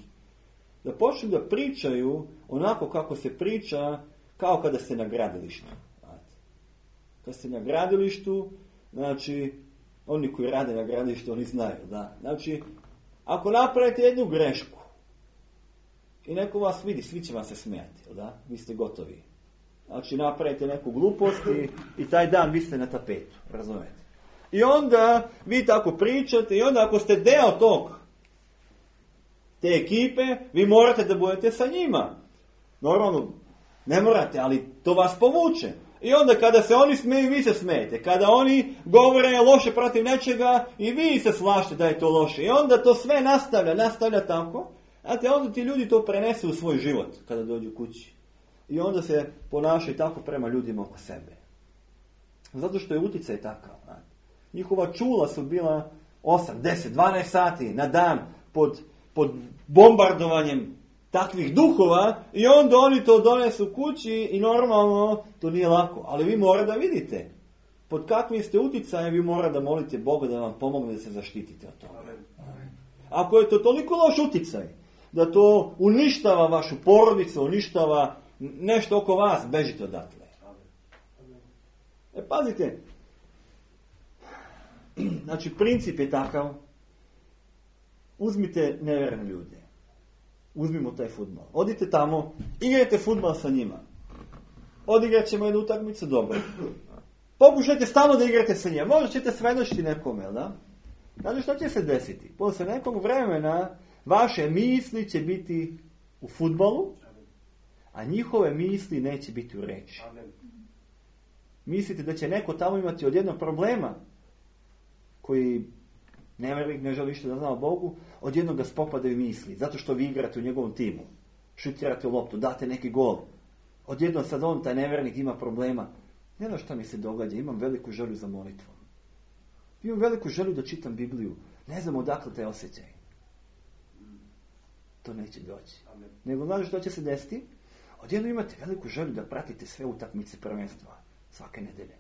Speaker 1: Da počnu da pričaju onako kako se priča, kao kada ste na gradilištu. Kada ste na gradilištu, znači, oni koji rade na gradilištu, oni znaju, da. Znači, ako napravite jednu grešku i neko vas vidi, svi će vam se smijati, da? Vi ste gotovi. Znači, napravite neku glupost i taj dan vi ste na tapetu, razumijete? I onda vi tako pričate i onda ako ste deo te ekipe, vi morate da budete sa njima. Normalno, ne morate, ali to vas povuče. I onda kada se oni smeju, vi se smijete. Kada oni govore loše protiv nečega, i vi se slažete da je to loše. I onda to sve nastavlja tako. Znate, onda ti ljudi to prenesu u svoj život kada dođu kući. I onda se ponašaju tako prema ljudima oko sebe. Zato što je uticaj takav. Njihova čula su bila 8, 10, 12 sati na dan pod bombardovanjem takvih duhova i onda oni to donesu kući i normalno to nije lako. Ali vi morate da vidite pod kakvim ste uticajem, vi morate da molite Boga da vam pomogne da se zaštitite od toga. Ako je to toliko loš uticaj da to uništava vašu porodicu, uništava nešto oko vas, bežite odatle. Pazite, znači princip je takav, uzmite nevjerne ljude. Uzmimo taj fudbal. Odite tamo, igrajte fudbal sa njima. Odigrat ćemo jednu utakmicu, dobro. Pokušajte stalno da igrate sa njima. Možda ćete svedočiti nekome, da? Znači što će se desiti? Posle nekog vremena vaše misli će biti u fudbalu, a njihove misli neće biti u reči. Mislite da će neko tamo imati od jednog problema koji nevjernik ne želi što da zna o Bogu, odjednom ga spopadaju misli, zato što vi igrate u njegovom timu, šutirate u loptu, date neki gol. Odjednom sad on, taj nevjernik, ima problema. Ne znam šta mi se događa, imam veliku želju za molitvom. Imam veliku želju da čitam Bibliju. Ne znam odakle taj osjećaj. To neće doći. Amen. Nego znaš što će se desiti? Odjednom imate veliku želju da pratite sve utakmice prvenstva svake nedelje.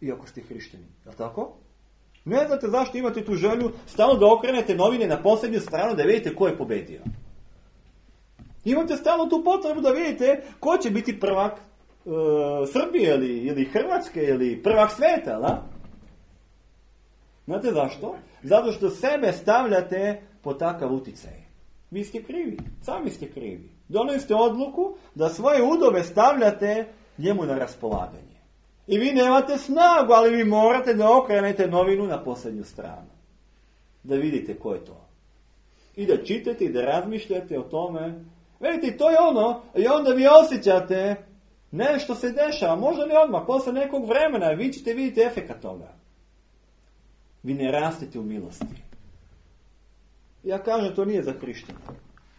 Speaker 1: Iako ste hrišćani. Je li tako? Ne znate zašto imate tu želju stalno da okrenete novine na posljednju stranu da vidite ko je pobedio. Imate stalno tu potrebu da vidite ko će biti prvak Srbije ili Hrvatske ili prvak sveta, da? Znate zašto? Zato što sebe stavljate pod takav uticaj. Vi ste krivi, sami ste krivi. Doneli ste odluku da svoje udove stavljate njemu na raspolaganje. I vi nemate snagu, ali vi morate da okrenete novinu na posljednju stranu. Da vidite ko je to. I da čitate i da razmišljate o tome. Vidite, to je ono, i onda vi osjećate nešto se dešava, možda ne odmah, posle nekog vremena, vi ćete vidjeti efekat toga. Vi ne rastete u milosti. Ja kažem, to nije za hrišćane.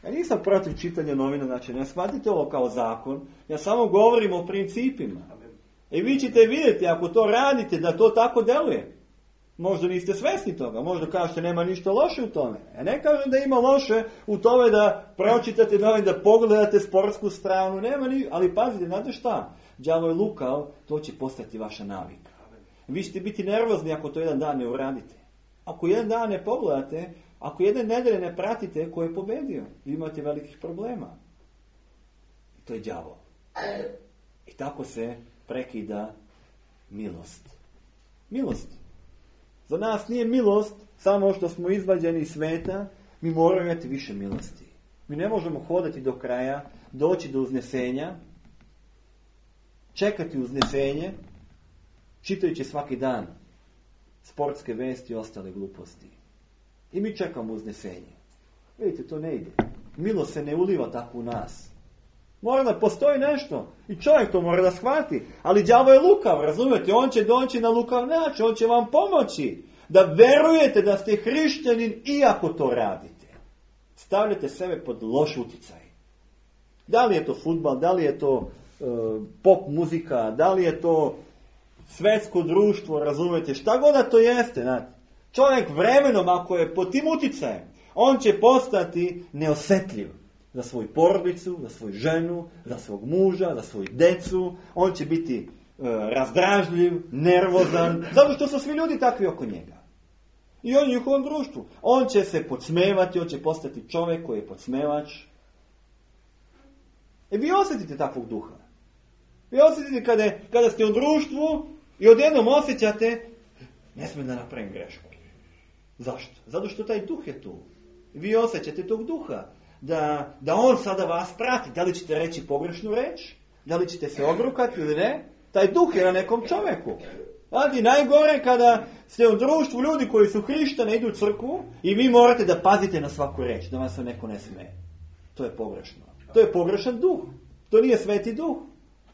Speaker 1: Ja nisam protiv čitanja novina, znači ne shvatite ovo kao zakon, ja samo govorim o principima. I vi ćete vidjeti, ako to radite, da to tako deluje. Možda niste svesni toga, možda kažete nema ništa loše u tome. Ja ne kažem da ima loše u tome da pročitate novine, da pogledate sportsku stranu, ali pazite, znate šta? Đavo je lukav, to će postati vaša navika. Vi ćete biti nervozni ako to jedan dan ne uradite. Ako jedan dan ne pogledate, ako jedne nedelje ne pratite, ko je pobedio, imate velikih problema. I to je đavo. I tako se prekida milost. Milost. Za nas nije milost samo što smo izvađeni iz sveta, mi moramo imati više milosti. Mi ne možemo hodati do kraja, doći do uznesenja, čekati uznesenje, čitajući svaki dan sportske vesti i ostale gluposti. I mi čekamo uznesenje. Vidite, to ne ide. Milost se ne uliva tako u nas. Mora da postoji nešto. I čovjek to mora da shvati. Ali đavo je lukav, razumijete? On će doći na lukav način. On će vam pomoći da verujete da ste hrišćanin iako to radite. Stavljate sebe pod loš utjecaj. Da li je to fudbal, da li je to pop muzika, da li je to svetsko društvo, razumijete? Šta god da to jeste, znate. Čovjek vremenom, ako je pod tim utjecajem, on će postati neosjetljiv za svoju porodicu, za svoju ženu, za svog muža, za svoju decu. On će biti razdražljiv, nervozan, zato što su svi ljudi takvi oko njega. I on u njihovom društvu. On će se podsmevati, on će postati čovjek koji je podsmevač. Vi osjetite takvog duha. Vi osjetite kada ste u društvu i odjednom osjećate, ne smijem da napravim grešku. Zašto? Zato što taj duh je tu. Vi osjećate tog duha. Da on sada vas prati. Da li ćete reći pogrešnu reč? Da li ćete se obrukati ili ne? Taj duh je na nekom čovjeku. Znači, najgore kada ste u društvu ljudi koji su hrišćani, idu u crkvu i vi morate da pazite na svaku reč, da vam se neko ne smeje. To je pogrešno. To je pogrešan duh. To nije sveti duh.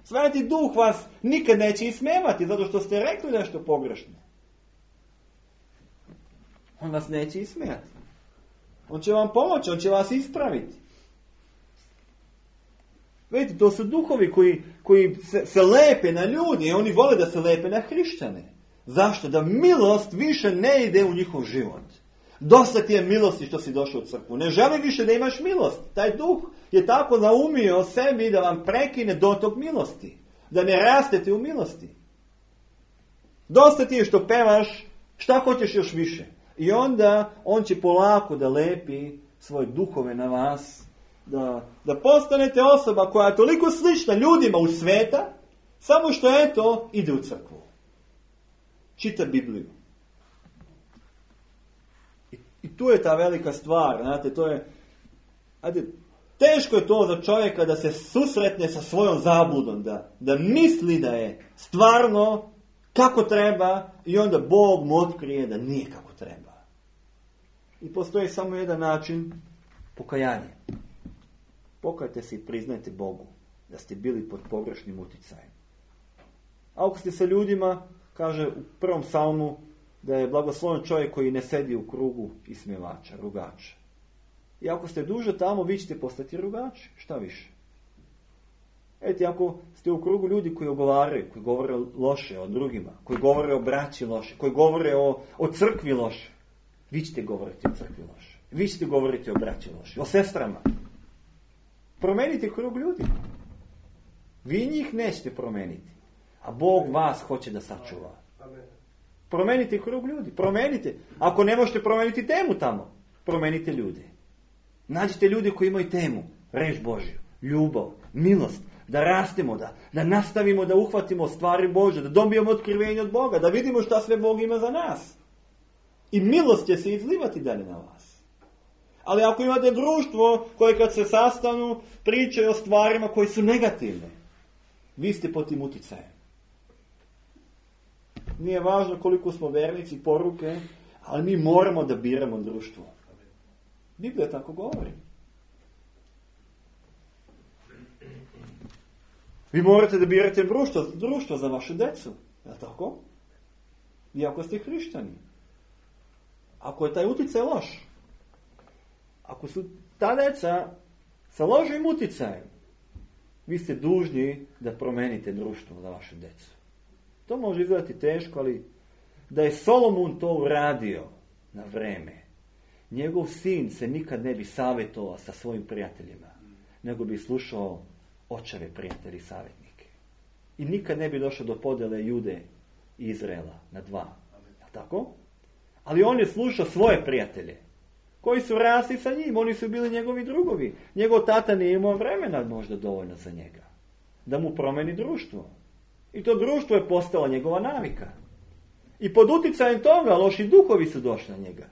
Speaker 1: Sveti duh vas nikad neće ismevati zato što ste rekli nešto pogrešno. On vas neće ismijati. On će vam pomoći, on će vas ispraviti. Vidite, to su duhovi koji se lepe na ljudi i oni vole da se lepe na hrišćane. Zašto? Da milost više ne ide u njihov život. Dosta ti je milosti što si došao u crkvu. Ne želi više da imaš milost. Taj duh je tako naumio sebi da vam prekine dotok milosti. Da ne rastete u milosti. Dosta ti je što pevaš, šta hoćeš još više. I onda on će polako da lepi svoje duhove na vas, da postanete osoba koja je toliko slična ljudima u sveta, samo što eto ide u crkvu. Čita Bibliju. I tu je ta velika stvar, znate, to je, teško je to za čovjeka da se susretne sa svojom zabludom, da misli da je stvarno kako treba i onda Bog mu otkrije da nije kako treba. I postoji samo jedan način, pokajanje. Pokajte se i priznajte Bogu da ste bili pod pogrešnim utjecajem. A ako ste sa ljudima, kaže u prvom psalmu, da je blagosloven čovjek koji ne sedi u krugu ismjevača, rugača. I ako ste duže tamo, vi ćete postati rugači. Šta više? Eto, ako ste u krugu ljudi koji ogovaraju, koji govore loše o drugima, koji govore o braći loše, koji govore o crkvi loše, vi ćete govoriti o crkvi loše. Vi ćete govoriti o braći loše, o sestrama. Promenite krug ljudi. Vi njih nećete promeniti. A Bog vas hoće da sačuva. Promenite krug ljudi. Promenite. Ako ne možete promeniti temu tamo, promenite ljude. Nađite ljude koji imaju temu. Reč Božju, ljubav, milost. Da rastemo, da nastavimo da uhvatimo stvari Božje, da dobijemo otkrivenje od Boga, da vidimo šta sve Bog ima za nas. I milost će se izlivati dalje na vas. Ali ako imate društvo koje kad se sastanu pričaju o stvarima koje su negativne, vi ste pod tim uticajem. Nije važno koliko smo vernici, poruke, ali mi moramo da biramo društvo. Biblija tako govori. Vi morate da birate društvo za vašu decu. Je li tako? Iako ste hrišćani. Ako je taj uticaj loš, ako su ta deca sa lošim uticajem, vi ste dužni da promenite društvo za vašu decu. To može izgledati teško, ali da je Solomon to uradio na vreme, njegov sin se nikad ne bi savjetovao sa svojim prijateljima, nego bi slušao očeve prijatelji i savjetnike. I nikad ne bi došao do podjele Jude i Izraela na dva. Je tako? Ali on je slušao svoje prijatelje, koji su rasli sa njim, oni su bili njegovi drugovi. Njegov tata nije imao vremena možda dovoljno za njega, da mu promeni društvo. I to društvo je postala njegova navika. I pod uticajem toga loši duhovi su došli na njega.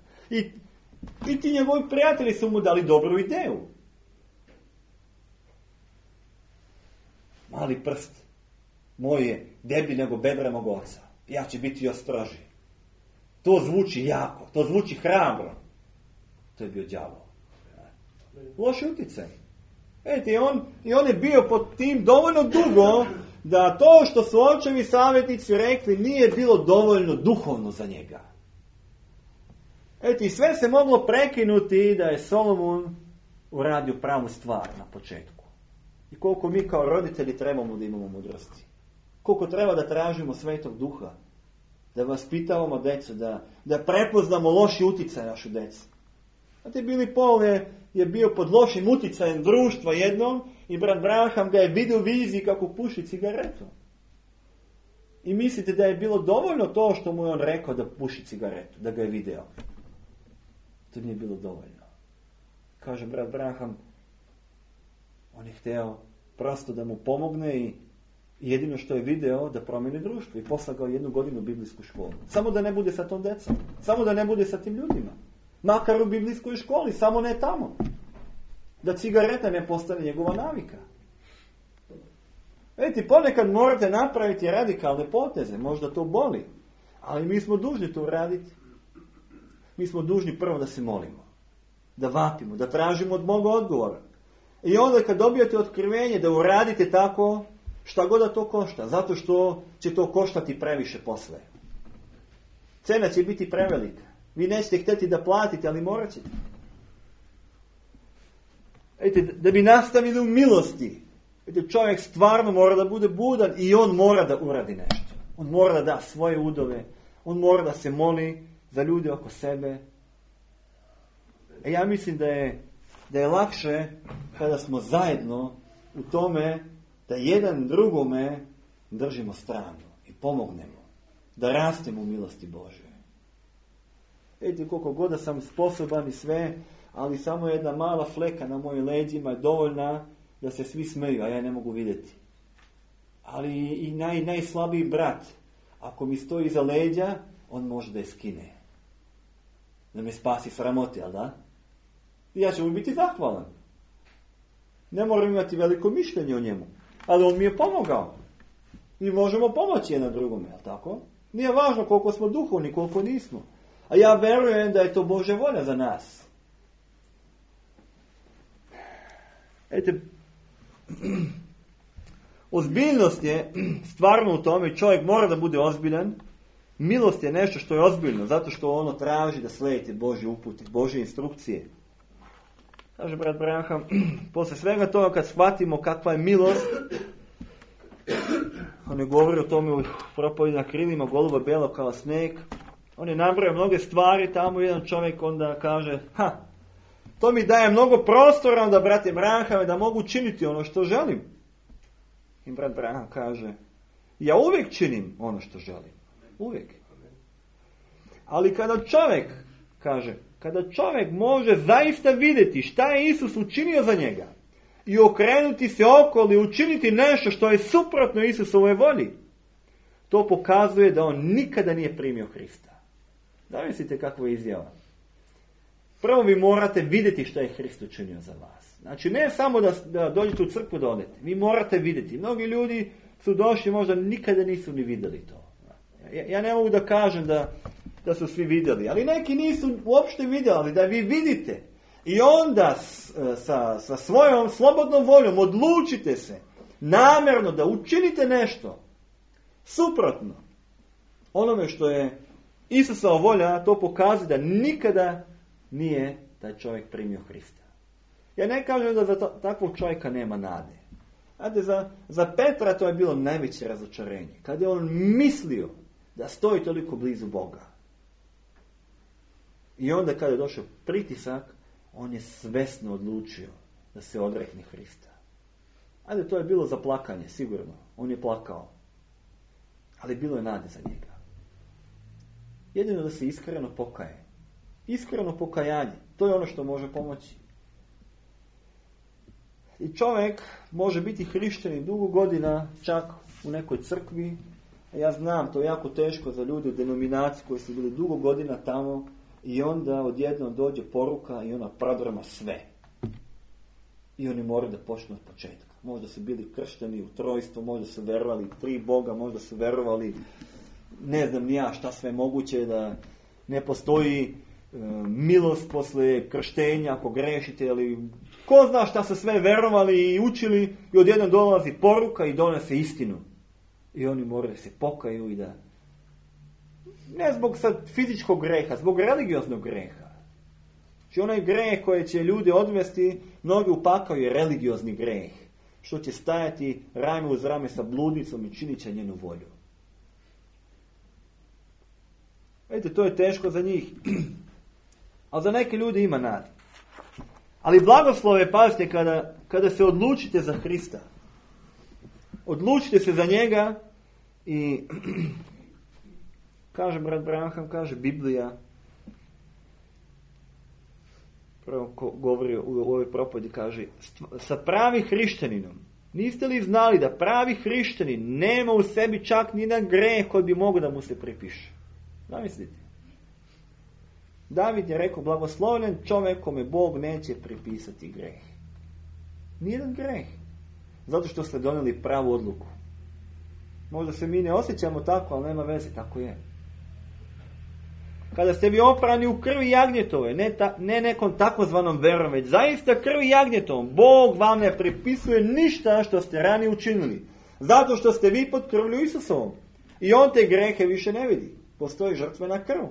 Speaker 1: I ti njegovi prijatelji su mu dali dobru ideju. Mali prst moj je deblji nego bedra mog oca. Ja ću biti još stroži. To zvuči jako, to zvuči hrabro. To je bio đavo. Loš utjecaj. Vidite, i on je bio pod tim dovoljno dugo da to što su očevi savjetnici rekli nije bilo dovoljno duhovno za njega. I sve se moglo prekinuti da je Solomon uradio pravu stvar na početku. I koliko mi kao roditelji trebamo da imamo mudrosti. Koliko treba da tražimo Svetog Duha. Da vaspitavamo djecu, da prepoznamo loši utjecaj našu djecu. Znate, Billy Paul je bio pod lošim utjecajem društva jednom i brat Branham ga je vidio u viziji kako puši cigaretu. I mislite da je bilo dovoljno to što mu je on rekao da puši cigaretu, da ga je video. To nije bilo dovoljno. Kaže brat Branham, on je htio prosto da mu pomogne i jedino što je video da promijeni društvo i poslao ga 1 godinu u biblijsku školu. Samo da ne bude sa tom djecom. Samo da ne bude sa tim ljudima. Makar u biblijskoj školi, samo ne tamo. Da cigareta ne postane njegova navika. Vidite, ponekad morate napraviti radikalne poteze, možda to boli, ali mi smo dužni to uraditi. Mi smo dužni prvo da se molimo, da vapimo, da tražimo od Boga odgovora. I onda kad dobijete otkrivenje da uradite tako, šta god da to košta, zato što će to koštati previše posle. Cena će biti prevelika. Vi nećete htjeti da platite, ali morat ćete. Vidite, da bi nastavili u milosti, vidite, čovjek stvarno mora da bude budan i on mora da uradi nešto. On mora da da svoje udove, on mora da se moli za ljude oko sebe. Ja mislim da je lakše kada smo zajedno u tome da jedan drugome držimo stranu i pomognemo, da rastemo u milosti Božje. Vidite, koliko god da sam sposoban i sve, ali samo jedna mala fleka na mojim leđima je dovoljna da se svi smeju, a ja ne mogu vidjeti. Ali i najslabiji brat, ako mi stoji iza leđa, on može da je skine. Da me spasi sramote, jel da? I ja ću mu biti zahvalan. Ne moram imati veliko mišljenje o njemu, ali on mi je pomogao. I možemo pomoći jedan drugome, jel tako? Nije važno koliko smo duhovni, koliko nismo. A ja verujem da je to Božja volja za nas. Vidite, ozbiljnost je stvarno u tome, čovjek mora da bude ozbiljan. Milost je nešto što je ozbiljno, zato što ono traži da slijedite Božje upute, Božje instrukcije. Kaže brat Branham, posle svega toga kad shvatimo kakva je milost, on je govorio o tome u propovedi na krilima goluba belo kao sneg. On je nabrojao mnoge stvari, tamo jedan čovjek onda kaže, to mi daje mnogo prostora onda, brate Branhame, da mogu činiti ono što želim. I brat Branham kaže, ja uvijek činim ono što želim. Uvijek. Ali kada čovjek može zaista vidjeti šta je Isus učinio za njega i okrenuti se okolo i učiniti nešto što je suprotno Isusovoj volji, to pokazuje da on nikada nije primio Hrista. Da mislite kakva je izjava? Prvo vi morate vidjeti što je Hrist učinio za vas. Znači ne samo da dođete u crkvu da odete. Vi morate vidjeti. Mnogi ljudi su došli, možda nikada nisu ni vidjeli to. Ja ne mogu da kažem da su svi vidjeli, ali neki nisu uopšte vidjeli, ali da vi vidite. I onda sa svojom slobodnom voljom odlučite se namjerno da učinite nešto suprotno onome što je Isusova volja, to pokazuje da nikada nije taj čovjek primio Hrista. Ja ne kažem da za takvog čovjeka nema nade. Znate, za Petra to je bilo najveće razočarenje. Kad je on mislio da stoji toliko blizu Boga. I onda kada je došao pritisak, on je svesno odlučio da se odrekne Hrista. Ajde, to je bilo za plakanje, sigurno. On je plakao. Ali bilo je nade za njega. Jedino da se iskreno pokaje. Iskreno pokajanje. To je ono što može pomoći. I čovjek može biti hrišćanin dugo godina, čak u nekoj crkvi. Ja znam, to je jako teško za ljude u denominaciji koji su bili dugo godina tamo i onda odjednom dođe poruka i ona prodrma sve. I oni moraju da počnu od početka. Možda su bili kršteni u trojstvo, možda su verovali 3 Boga, možda su verovali ne znam ni ja šta sve moguće, da ne postoji milost posle krštenja ako grešite, ili ko zna šta su sve verovali i učili, i odjednom dolazi poruka i donese istinu. I oni moraju se pokaju i da... Ne zbog sad fizičkog greha, zbog religioznog greha. Znači onaj greh koji će ljude odvesti, mnogi upakaju je religiozni greh. Što će stajati rame uz rame sa bludnicom i činit će njenu volju. Vidite, to je teško za njih. Ali za neke ljudi ima nade. Ali blagoslove, pazite, kada se odlučite za Hrista. Odlučite se za njega i kaže brat Branham, kaže Biblija, prvo govori u ovoj propovedi, kaže, sa pravi hrišćaninom, niste li znali da pravi hrišćanin nema u sebi čak ni jedan greh koji bi mogao da mu se pripiše? Zamislite. David je rekao, blagoslovljen čovjek kome Bog neće pripisati greh. Nijedan greh. Zato što ste donijeli pravu odluku. Možda se mi ne osjećamo tako, ali nema veze, tako je. Kada ste vi oprani u krvi jagnjetove, ne nekom takozvanom verom, već zaista krvi jagnjetovom, Bog vam ne pripisuje ništa što ste ranije učinili. Zato što ste vi pod krvlju Isusovom. I on te grehe više ne vidi. Postoji žrtvena krv.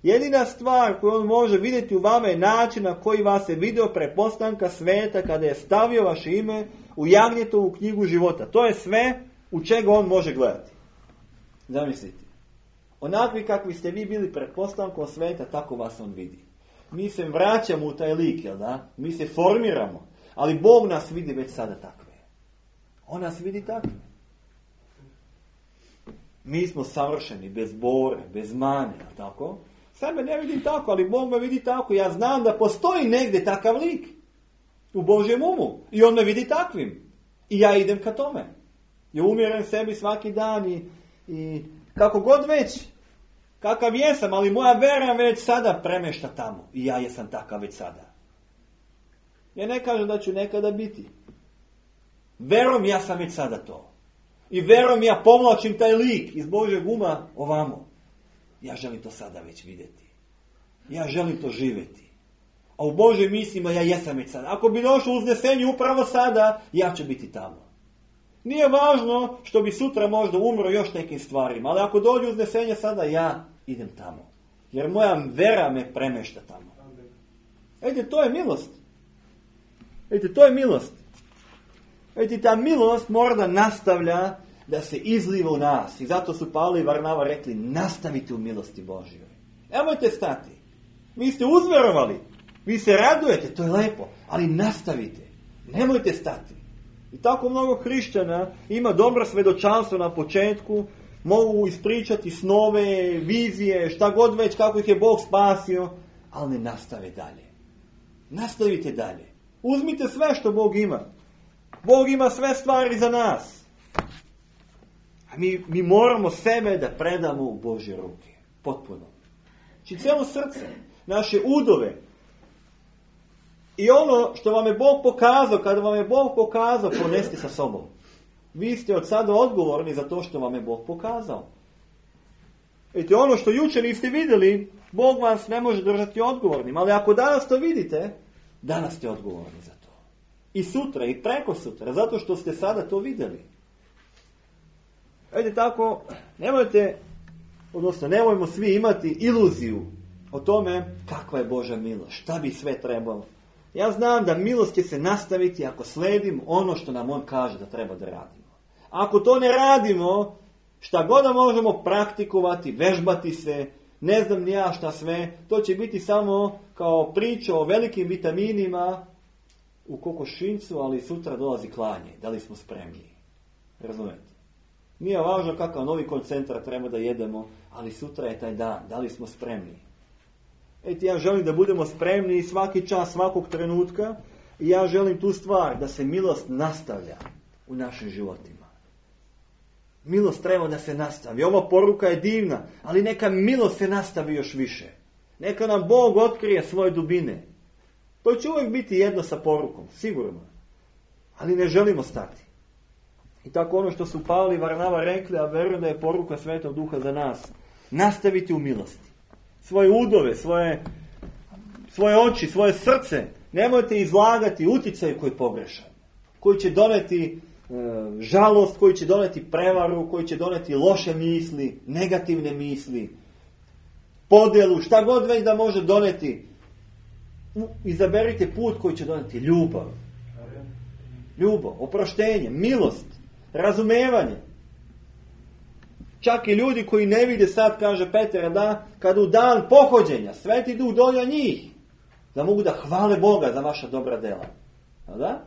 Speaker 1: Jedina stvar koju on može vidjeti u vama je način na koji vas je vidio pre postanka sveta kada je stavio vaše ime u jagnjetovu knjigu života. To je sve u čega on može gledati. Zamislite. Onakvi kakvi ste vi bili pred postankom sveta, tako vas on vidi. Mi se vraćamo u taj lik, jel da? Mi se formiramo. Ali Bog nas vidi već sada takve. On nas vidi takve. Mi smo savršeni, bez bore, bez mane, tako? Sebe ne vidim tako, ali Bog me vidi tako. Ja znam da postoji negdje takav lik u Božjem umu. I on me vidi takvim. I ja idem ka tome. Ja umjeram sebi svaki dan i kako god već, kakav jesam, ali moja vera već sada premešta tamo. I ja jesam takav već sada. Ja ne kažem da ću nekada biti. Verom ja sam već sada to. I verom ja povlačim taj lik iz Božjeg uma ovamo. Ja želim to sada već vidjeti. Ja želim to živjeti. A u Božjim mislima ja jesam već sada. Ako bi došlo uznesenje upravo sada, ja ću biti tamo. Nije važno što bi sutra možda umro još nekim stvarima, ali ako dođe uznesenje sada, ja idem tamo. Jer moja vera me premešta tamo. Ejte, to je milost. Ejte, to je milost. Ejte, ta milost mora da nastavlja da se izliva u nas. I zato su Pavle i Varnava rekli, nastavite u milosti Božjoj. Nemojte stati. Vi ste uzverovali. Vi se radujete, to je lepo. Ali nastavite. Nemojte stati. I tako mnogo hrišćana ima dobro svedočanstvo na početku, mogu ispričati snove, vizije, šta god već, kako ih je Bog spasio, ali ne nastave dalje. Nastavite dalje. Uzmite sve što Bog ima. Bog ima sve stvari za nas. A mi moramo sebe da predamo u Božje ruke. Potpuno. Znači cijelo srce, naše udove. I ono što vam je Bog pokazao, kada vam je Bog pokazao, ponesti sa sobom. Vi ste od sada odgovorni za to što vam je Bog pokazao. Vidite, ono što jučer niste vidjeli, Bog vas ne može držati odgovornim. Ali ako danas to vidite, danas ste odgovorni za to. I sutra, i preko sutra, zato što ste sada to vidjeli. Vidite, tako, nemojmo svi imati iluziju o tome kakva je Božja milost, šta bi sve trebalo. Ja znam da milost će se nastaviti ako sledim ono što nam on kaže da treba da radimo. Ako to ne radimo, šta god da možemo praktikovati, vežbati se, ne znam ni ja šta sve, to će biti samo kao priča o velikim vitaminima u kokošincu, ali sutra dolazi klanje. Da li smo spremni? Razumete? Nije važno kakav novi koncentrat treba da jedemo, ali sutra je taj dan. Da li smo spremni? Ja želim da budemo spremni svaki čas, svakog trenutka i ja želim tu stvar da se milost nastavlja u našim životima. Milost treba da se nastavi. Ova poruka je divna, ali neka milost se nastavi još više. Neka nam Bog otkrije svoje dubine. To će uvijek biti jedno sa porukom, sigurno. Ali ne želimo stati. I tako ono što su Pavle i Varnava rekli, a verujem da je poruka Svetog Duha za nas. Nastaviti u milosti. Svoje udove, svoje svoje oči, svoje srce. Nemojte izlagati utjecaj koji je pogrešan. Koji će doneti žalost, koji će doneti prevaru, koji će doneti loše misli, negativne misli, podjelu, šta god već da može doneti. Izaberite put koji će doneti ljubav. Ljubav, oproštenje, milost, razumevanje. Čak i ljudi koji ne vide sad, kaže Petar, da kad u dan pohođenja Sveti Duh dođe njih, da mogu da hvale Boga za vaša dobra dela. Da?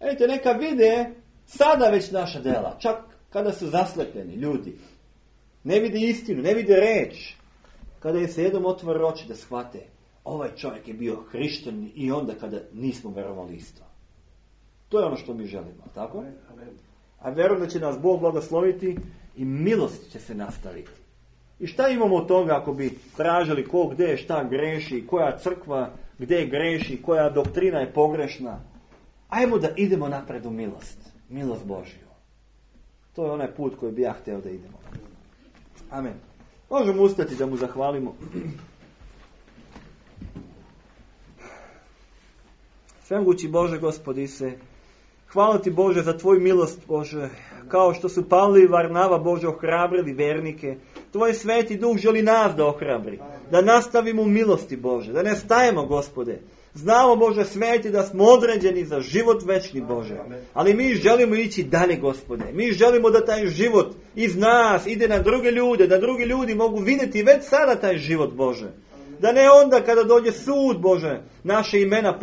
Speaker 1: Vidite, neka vide sada već naša dela, čak kada su zaslepljeni ljudi. Ne vide istinu, ne vide reč. Kada je se jednom otvore oči da shvate, ovaj čovjek je bio hrišćanin i onda kada nismo verovali isto. To je ono što mi želimo, tako? A verujem da će nas Bog blagosloviti i milost će se nastaviti. I šta imamo od toga ako bi tražili ko gdje šta greši, koja crkva gdje greši, koja doktrina je pogrešna. Ajmo da idemo napred u milost. Milost Božju. To je onaj put koji bi ja htio da idemo. Amen. Možemo ustati da mu zahvalimo. Svemogući Bože, Gospodi se, hvala ti Bože za tvoju milost, Bože, kao što su Pavle i Varnava, Bože, ohrabrili vernike. Tvoj Sveti Duh želi nas da ohrabri, da nastavimo u milosti, Bože, da ne stajemo, Gospode. Znamo, Bože, Sveti, da smo određeni za život večni, Bože, ali mi želimo ići dalje, Gospode. Mi želimo da taj život iz nas ide na druge ljude, da drugi ljudi mogu vidjeti već sada taj život, Bože. Da ne onda kada dođe sud, Bože, naše imena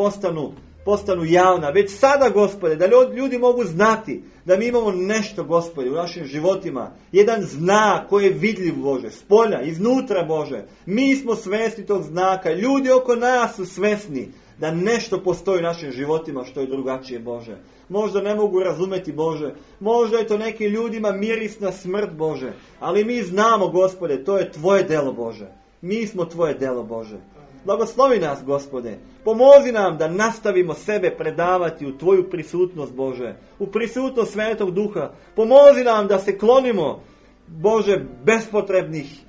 Speaker 1: postanu javna. Već sada, Gospode, da ljudi mogu znati da mi imamo nešto, Gospode, u našim životima. Jedan znak koji je vidljiv, Bože, spolja, iznutra, Bože. Mi smo svjesni tog znaka. Ljudi oko nas su svjesni da nešto postoji u našim životima što je drugačije, Bože. Možda ne mogu razumjeti, Bože. Možda je to nekim ljudima mirisna smrt, Bože. Ali mi znamo, Gospode, to je tvoje delo, Bože. Mi smo tvoje delo, Bože. Blagoslovi nas, Gospode. Pomozi nam da nastavimo sebe predavati u tvoju prisutnost, Bože. U prisutnost Svetog Duha. Pomozi nam da se klonimo, Bože, bespotrebnih,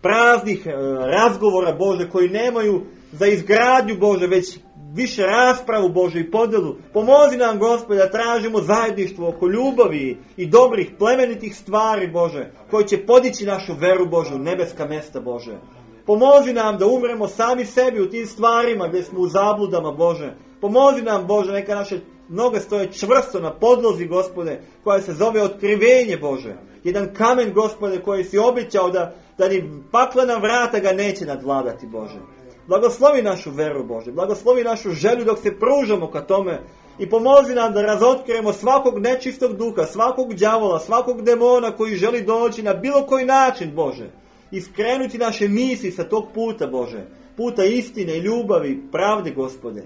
Speaker 1: praznih razgovora, Bože, koji nemaju za izgradnju, Bože, već više raspravu, Bože, i podjelu. Pomozi nam, Gospode, da tražimo zajedništvo oko ljubavi i dobrih, plemenitih stvari, Bože, koji će podići našu veru, Bože, u nebeska mjesta, Bože. Pomozi nam da umremo sami sebi u tim stvarima gdje smo u zabludama, Bože. Pomozi nam, Bože, neka naše noge stoje čvrsto na podlozi, Gospode, koja se zove otkrivenje, Bože. Jedan kamen, Gospode, koji si obećao da ni paklena vrata ga neće nadvladati, Bože. Blagoslovi našu veru, Bože. Blagoslovi našu želju dok se pružamo ka tome. I pomozi nam da razotkrijemo svakog nečistog duha, svakog đavola, svakog demona koji želi doći na bilo koji način, Bože. I skrenuti naše misli sa tog puta, Bože. Puta istine, ljubavi, pravde, Gospode.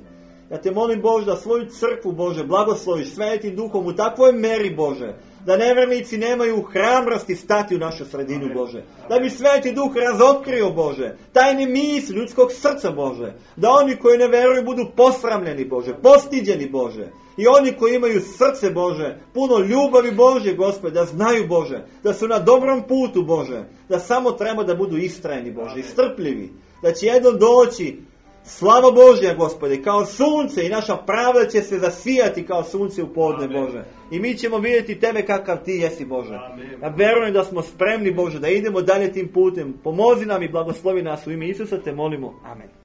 Speaker 1: Ja te molim, Bože, da svoju crkvu, Bože, blagosloviš Svetim Duhom u takvoj meri, Bože. Da nevjernici nemaju hrabrosti stati u našu sredinu, Bože. Da bi Sveti Duh razotkrio, Bože, tajne misli ljudskog srca, Bože. Da oni koji ne vjeruju budu posramljeni, Bože, postiđeni, Bože. I oni koji imaju srce, Bože, puno ljubavi Bože, Gospode, da znaju, Bože, da su na dobrom putu, Bože, da samo treba da budu istrajni, Bože, i strpljivi, da će jednom doći slava Božja, Gospode, kao sunce i naša pravda će se zasijati kao sunce u podne, Bože. I mi ćemo vidjeti tebe kakav ti jesi, Bože. Ja verujem da smo spremni, Bože, da idemo dalje tim putem. Pomozi nam i blagoslovi nas u ime Isusa, te molimo. Amen.